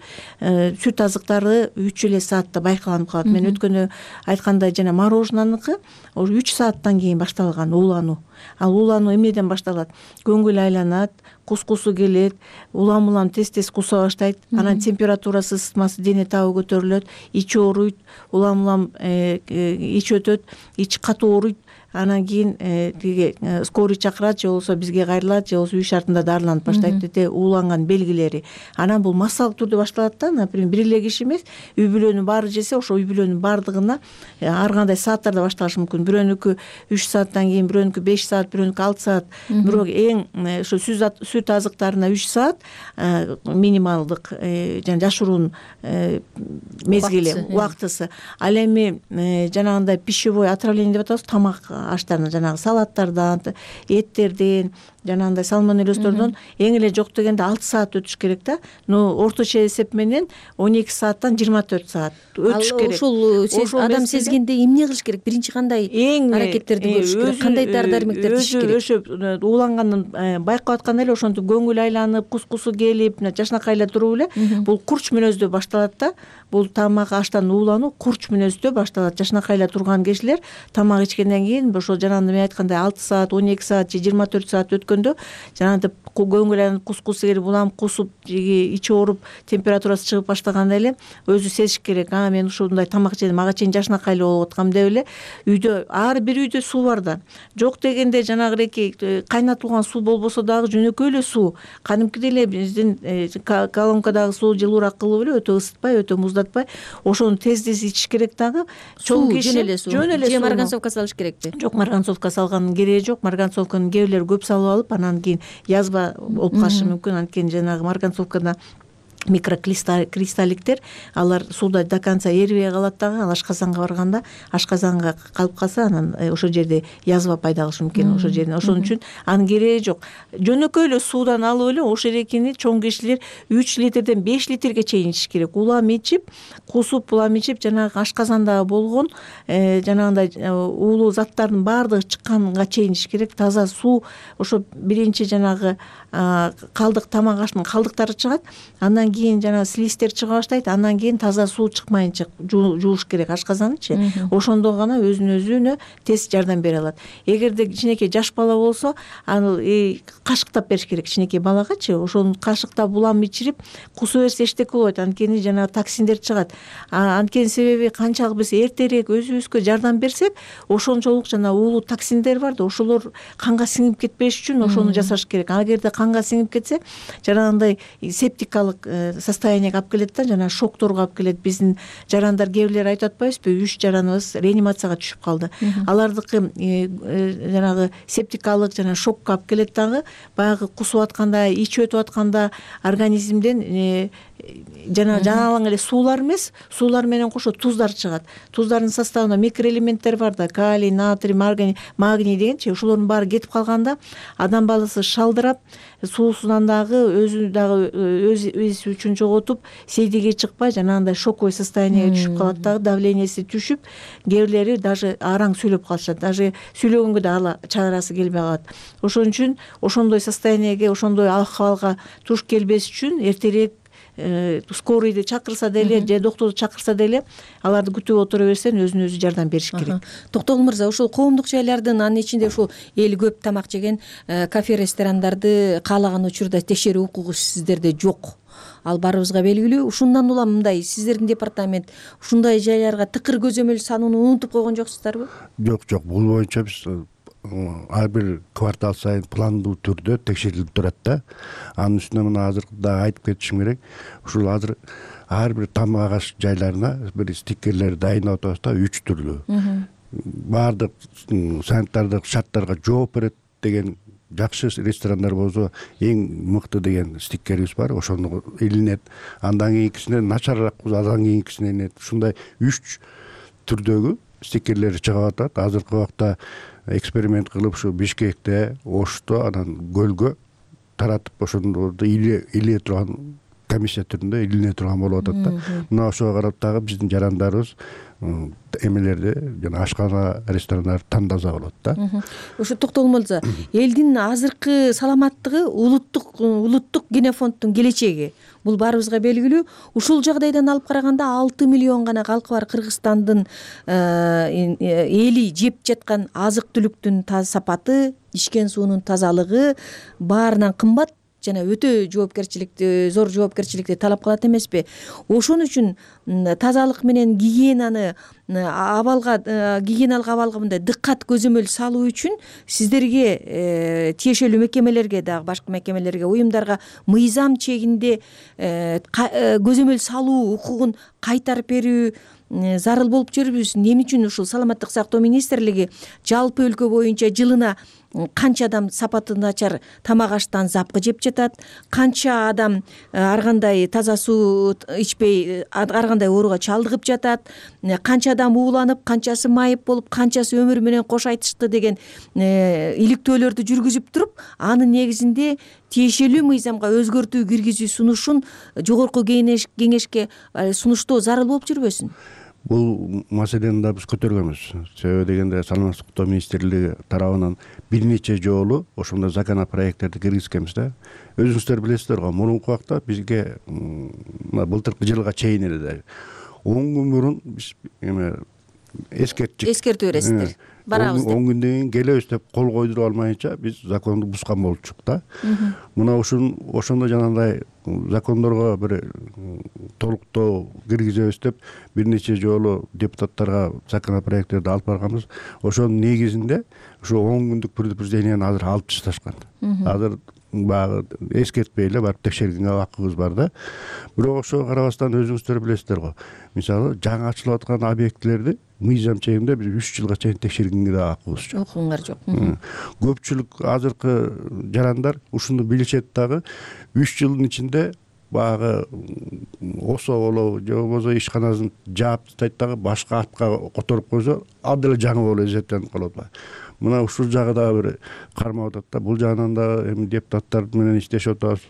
сүт азыктары үч эле саатта байкаланып калат. Мен өткөнү айткандай жана мороженаныкы үч сааттан кийин башталган уулануу. Ал уулануу эмнеден башталат? Көңүл айланат, кускусу келет, улам-улам тез-тез куса баштайт, анан температурасы, ысытмасы дене табы көтөрүлөт, ичи ооруйт, улам-улам ич өтөт, ич катуу ооруйт. Анан кийин тиги скорый чакырат, же болбосо бизге кайрылат, же болбосо үй шартында дарыланып баштайт деди, ууланган белгилери. Анан бул массалык түрдө башталат да, например, бир эле киши эмес, үй бүлөнүн баары жесе, ошо үй бүлөнүн баардыгына ар кандай сааттарда башталышы мүмкүн. Бирөөнүкү үч сааттан кийин, бирөөнүкү беш саат, бирөөнүкү алты саат. Бирок эң ошо сүт азыктарына үч саат минималдык жана жашыруун мезгили, убактысы. Ал эми жанагындай пищевой отравление деп атабыз, тамак аштарынан, жанагы салаттардан, эттерден, жанагындай сальмонеллездордон эң эле жок дегенде алты саат өтүш керек да. Но орточо эсеп менен он эки сааттан жыйырма төрт саат өтүш керек. Ошол адам сезгенде эмне кылыш керек? Биринчи кандай аракеттерди көрүш керек? Кандай дары дармектерди ичиш керек? Өзү ууланганын байкап атканда эле ошентип көңүл айланып, кускусу келип, жашнакайлар туруп эле бул курч мүнөздө башталат да. Бул тамак аштан уулануу курч мүнөздө башталат. Жашнакайла турган кишилер тамак ичкенден кийин ошол жанагындай мен айткандай алты саат, он эки саат же жыйырма төрт саат өткөндө жанагындай көңүл айланып, кускусу келип, улам кусуп, ичи ооруп, температурасы чыгып баштаганда эле өзү сезиш керек. А, мен ушундай тамак жедим, мага чейин жашнакайлы болуп аткам деп эле үйдө, ар бир үйдө суу бар да. Жок дегенде жанагыреки кайнатылган суу болбосо дагы жөнөкөй эле суу, кадимкидей эле биздин колонкадагы суу жылуураак кылып эле, өтө ысытпай, өтө муздатпай, ошону тез-тез ичиш керек дагы. Чоң киши жөн эле суу, же марганцовка салыш керекпи? Жок, марганцовка салганын кереги жок. Марганцовканы кээ бирлер көп салып алып, анан кийин язва болуп калышы мүмкүн. Анткени жанагы марганцовкада микрокристалликтер, алар сууда до конца эрибей калат дагы. Ал ашказанга барганда, ашказанга калып калса, анан ошол жерде язва пайда кылышы мүмкүн. Ошол жерден, ошон үчүн анын кереги жок. Жөнөкөй эле суудан алып эле ошол эрекени чоң кишилер үч литрден беш литрге чейин ичиш керек. Улам ичип, кусуп, улам ичип, жанагы ашказандагы болгон жанагындай уулуу заттардын баардыгы чыкканга чейин ичиш керек. Таза суу, ошо биринчи жанагы калдык, тамак аштын калдыктары чыгат, андан кийин жана слизтер чыга баштайт, андан кийин таза суу чыкмайынча жууш керек ашказанычы. Ошондо гана өзүнө өзүнө тез жардам бере алат. Эгерде кичинекей жаш бала болсо, аны кашыктап бериш керек кичинекей балагачы. Ошону кашыктап улам ичирип, кусу берсе эчтеке болбойт. Анткени жана токсиндер чыгат. Анткени себеби канчалык биз эртерээк өзүбүзгө жардам берсек, ошончолук жана уулуу токсиндер бар да, ошолор канга сиңип кетпеш үчүн ошону жасаш керек. Эгерде канга сиңип кетсе, жанагындай септикалык состояниеге алып келет да, жана шокторго алып келет. Биздин жарандар кээ бирлер айтып атпайбызбы, үч жараныбыз реанимацияга түшүп калды. Алардыкы жанагы септикалык жана шокко алып келет дагы, баягы кусуп атканда, ичип өтүп атканда организмден жана жаналаң эле суулар эмес, суулар менен кошо туздар чыгат. Туздардын составында микроэлементтер бар да, калий, натрий, магний дегенчи, ошолордун баары кетип калганда адам баласы шалдырап, суусунан дагы өзү дагы өз эс үчүн жоготуп, сейдиге чыкпай, жанагындай шоковый состояниеге түшүп калат дагы, давленияси түшүп, кээ бирлери даже араң сүйлөп калышат, даже сүйлөгөнгө да ала чарасы келбей калат. Ошон үчүн ошондой состояниеге, ошондой акыбалга туш келбеш үчүн эртерээк скорыйды чакырса деле же доктурду чакырса деле аларды күтүп отура берсен өзүнө өзү жардам бериш керек. Токтогул мырза, ушул коомдук жайлардын анын ичинде ушул эл көп тамак жеген кафе ресторандарды каалаган учурда текшерүү укугу сиздерде жок. Ал баарыбызга белгилүү. Ушундан улам мындай сиздердин департамент ушундай жайларга тыкыр көзөмөл салууну унутуп койгон жоксуздарбы? Жок, жок. Бул боюнча биз ар бир квартал сайын пландуу түрдө текшерилип турат да. Анын үстүнө мына азыр да айтып кетишим керек. Ушул азыр ар бир тамак аш жайларына бир стикерлер дайындап атабыз да, үч түрлүү. Баардык санитардык шарттарга жооп берет деген жакшы ресторандар болсо эң мыкты деген стикерибиз бар, ошону илинет. Андан кийинкисине начарыраак болсо андан кийинкисине илинет. Ушундай үч түрдөгү стикерлер чыгып атат. Азыркы убакта эксперимент кылып ушу Бишкекте, Ошто, анан Көлгө таратып ошондорду илие турган комиссия түрүндө илине турган болуп атат да. Мына ошого карап дагы биздин жарандарыбыз эмелерди жана ашкана ресторандарды тандаса болот да. Ушу Токтогул мырза, элдин азыркы саламаттыгы улуттук улуттук генофонддун келечеги. Бул баарыбызга белгилүү. Ушул жагдайдан алып караганда алты миллион гана калкы бар Кыргызстандын эли жеп жаткан азык-түлүктүн сапаты, ичкен суунун тазалыгы баарынан кымбат жана өтө жоопкерчиликти, зор жоопкерчиликти талап кылат эмеспи? Ошон үчүн тазалык менен гигиенаны абалга гигиеналык абалга мындай дыккат көзөмөл салуу үчүн сиздерге тиешелүү мекемелерге дагы башка мекемелерге, уюмдарга мыйзам чегинде көзөмөл салуу укугун кайтарып берүү зарыл болуп жүрбүз. Эмне үчүн ушул саламаттык сактоо министрлиги жалпы өлкө боюнча жылына канча адам сапаты начар тамак аштан запкы жеп жатат, канча адам ар кандай таза суу ичпей ар кандай ооруга чалдыгып жатат, канча адам ууланып, канчасы майып болуп, канчасы өмүр менен кош айтышты деген иликтөөлөрдү жүргүзүп туруп, анын негизинде тиешелүү мыйзамга өзгөртүү киргизүү сунушун жогорку кеңешке сунуштоо зарыл болуп жүрбөсүн? Бул маселени да биз көтөргөнбүз. Себеби дегенде саламаттык сактоо министрлиги тарабынан бир нече жолу ошондой законопроекттерди киргизгенбиз да. Өзүңүздөр билесиздер го, мурунку убакта бизге былтыркы жылга чейин эле он күн мурун биз эме эскерттик. Эскертүү бересиздер. Барабыз деп. он күндөн кийин келебиз деп кол койдуруп алмайынча биз законду бузган болчук да. Мына ушун ошондо жанагындай закондорго бир толуктоо киргизебиз деп бир нече жолу депутаттарга законопроекттерди алып барганбыз. Ошонун негизинде ушу он күндүк предупрежденияны азыр алып ташташкан. Азыр баягы эскертпей эле барып текшергенге акыбыз бар да. Бирок ошого карабастан өзүңүздөр билесиздер го. Мисалы, жаңы ачылып аткан объектилерди мыйзам чегинде биз үч жылга чейин текшергенге да акыбыз жок. Укуңар жок. Көпчүлүк азыркы жарандар ушуну билишет дагы, үч жылдын ичинде баягы осо болобу же болбосо ишканасын жаап тастайт дагы башка атка которуп койсо ал деле жаңы болуп эсептенип калат. Мына ушул жагы дагы бир кармап атат да. Бул жагынан да эми депутаттар менен иштешип атабыз.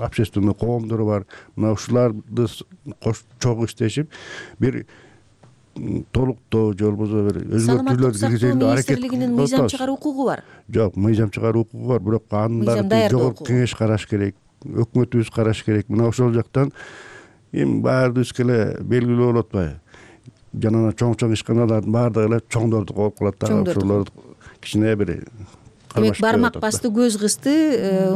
Общественный коомдор бар. Мына ушуларды чогуу иштешип бир толуктоо же болбосо бир өзгөртүүлөр киргизүүгө аракет кылып атабыз. Мыйзам чыгаруу укугу бар. Жок, мыйзам чыгаруу укугу бар, бирок аны дагы жогорку кеңеш караш керек, өкмөтүбүз караш керек. Мына ошол жактан эми баарыбызга эле белгилүү болуп атпайбы? Жанана чоң-чоң ишканалардын баардыгы эле чоңдорду коюп калат да. Ошолор кичине бир демек бармак басты, көз кысты,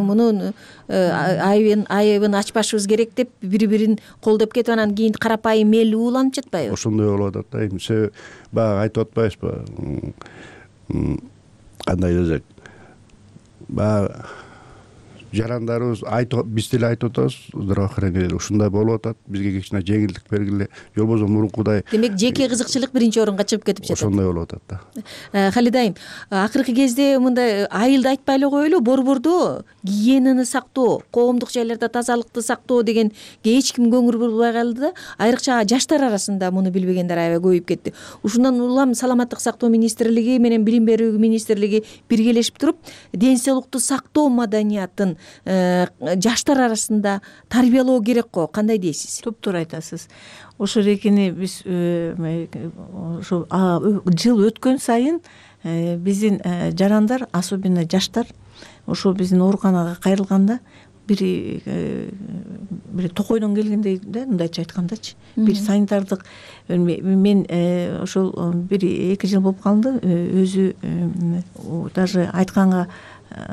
муну айыбын айыбын ачпашыбыз керек деп бири-бирин колдоп кетип анан кийин карапайым эл ууланып жатпайбы? Ошондой болуп атат да. Себеби баягы айтып атпайбызбы? Кандай десек, баягы жарандарыбыз айтып, биз деле айтып атабыз, здравоохранение ушундай болуп атат, бизге кичине жеңилдик бергиле, же болбосо мурункудай. Демек жеке кызыкчылык биринчи орунга чыгып кетип жатат. Ошондой болуп атат да. Халида айым, акыркы кезде мындай айылды айтпай эле коелу, борбордо гигиенаны сактоо, коомдук жайларда тазалыкты сактоо дегенге эч ким көңүл бурбай калды да. Айрыкча жаштар арасында муну билбегендер аябай көбөйүп кетти. Ушундан улам саламаттык сактоо министрлиги менен билим берүү министрлиги биргелешип туруп, ден соолукту сактоо маданиятын жаштар арасында тарбиялоо керек го. Кандай дейсиз? Туптуура айтасыз. Ошол эрекини биз ошо жыл өткөн сайын биздин жарандар, особенно жаштар ошо биздин ооруканага кайрылганда бир бир токойдон келгендей да, мындайча айткандачы бир санитардык. Мен ошол бир эки жыл болуп калды өзү даже айтканга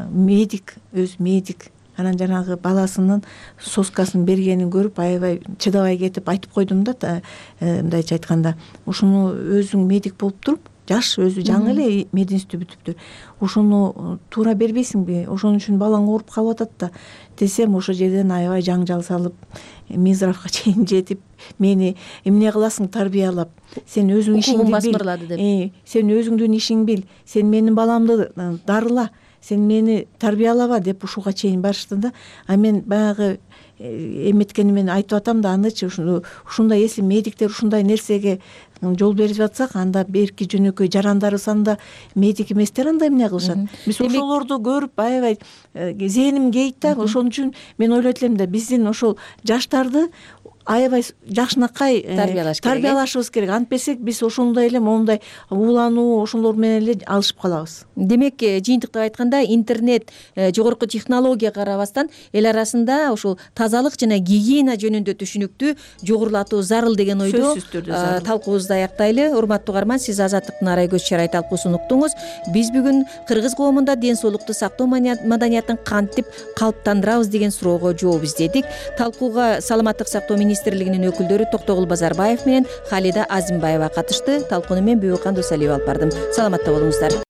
медик өзү медик анан жанагы баласынын соскасын бергенин көрүп аябай чыдабай кетип айтып койдум да, мындайча айтканда ушуну өзүң медик болуп туруп жаш өзү жаңы эле мединститутты бүтүптүр, ошону туура бербейсиңби, ошон үчүн балаң ооруп калып атат да десем, ошол жерден аябай жаңжал салып Мизравга чейин жетип мени эмне кыласың тарбиялап, сен өзүң ишиңди бил, сен өзүңдүн ишиңди бил, сен менин баламды дарыла, сен мени тарбиялаба деп ушуга чейин барышты да. А мен баягы эметкени менен айтып атам да, анычы ушундай если медиктер ушундай нерсеге жол берип жатсак, анда берки жөнөкөй жарандарыбыз анда медик эместер анда эмне кылышат. Биз ошолорду көрүп аябай зээним кейит да. Ошон үчүн мен ойлойт элем да, биздин ошол жаштарды аябай жакшынакай тарбиялашыбыз керек. Антпесек биз ошондой эле моундай уулануу ошолор менен эле алышып калабыз. Демек, жыйынтыктап айтканда, интернет, жогорку технология карабастан эл арасында ошол тазалык жана гигиена жөнүндө түшүнүктү жогорулатуу зарыл деген ойдо талкуубузду аяктайлы. Урматтуу угарман, сиз Азаттыктын арай көз чарай талкуусун уктуңуз. Биз бүгүн кыргыз коомунда ден соолукту сактоо маданиятын кантип калыптандырабыз деген суроого жооп издедик. Талкууга саламаттык сактоо министрлигинин өкүлдөрү Токтогул Базарбаев менен Халида Азимбаева катышты. Талкууну мен Бүбүкан Досалиева алып бардым. Саламатта болуңуздар.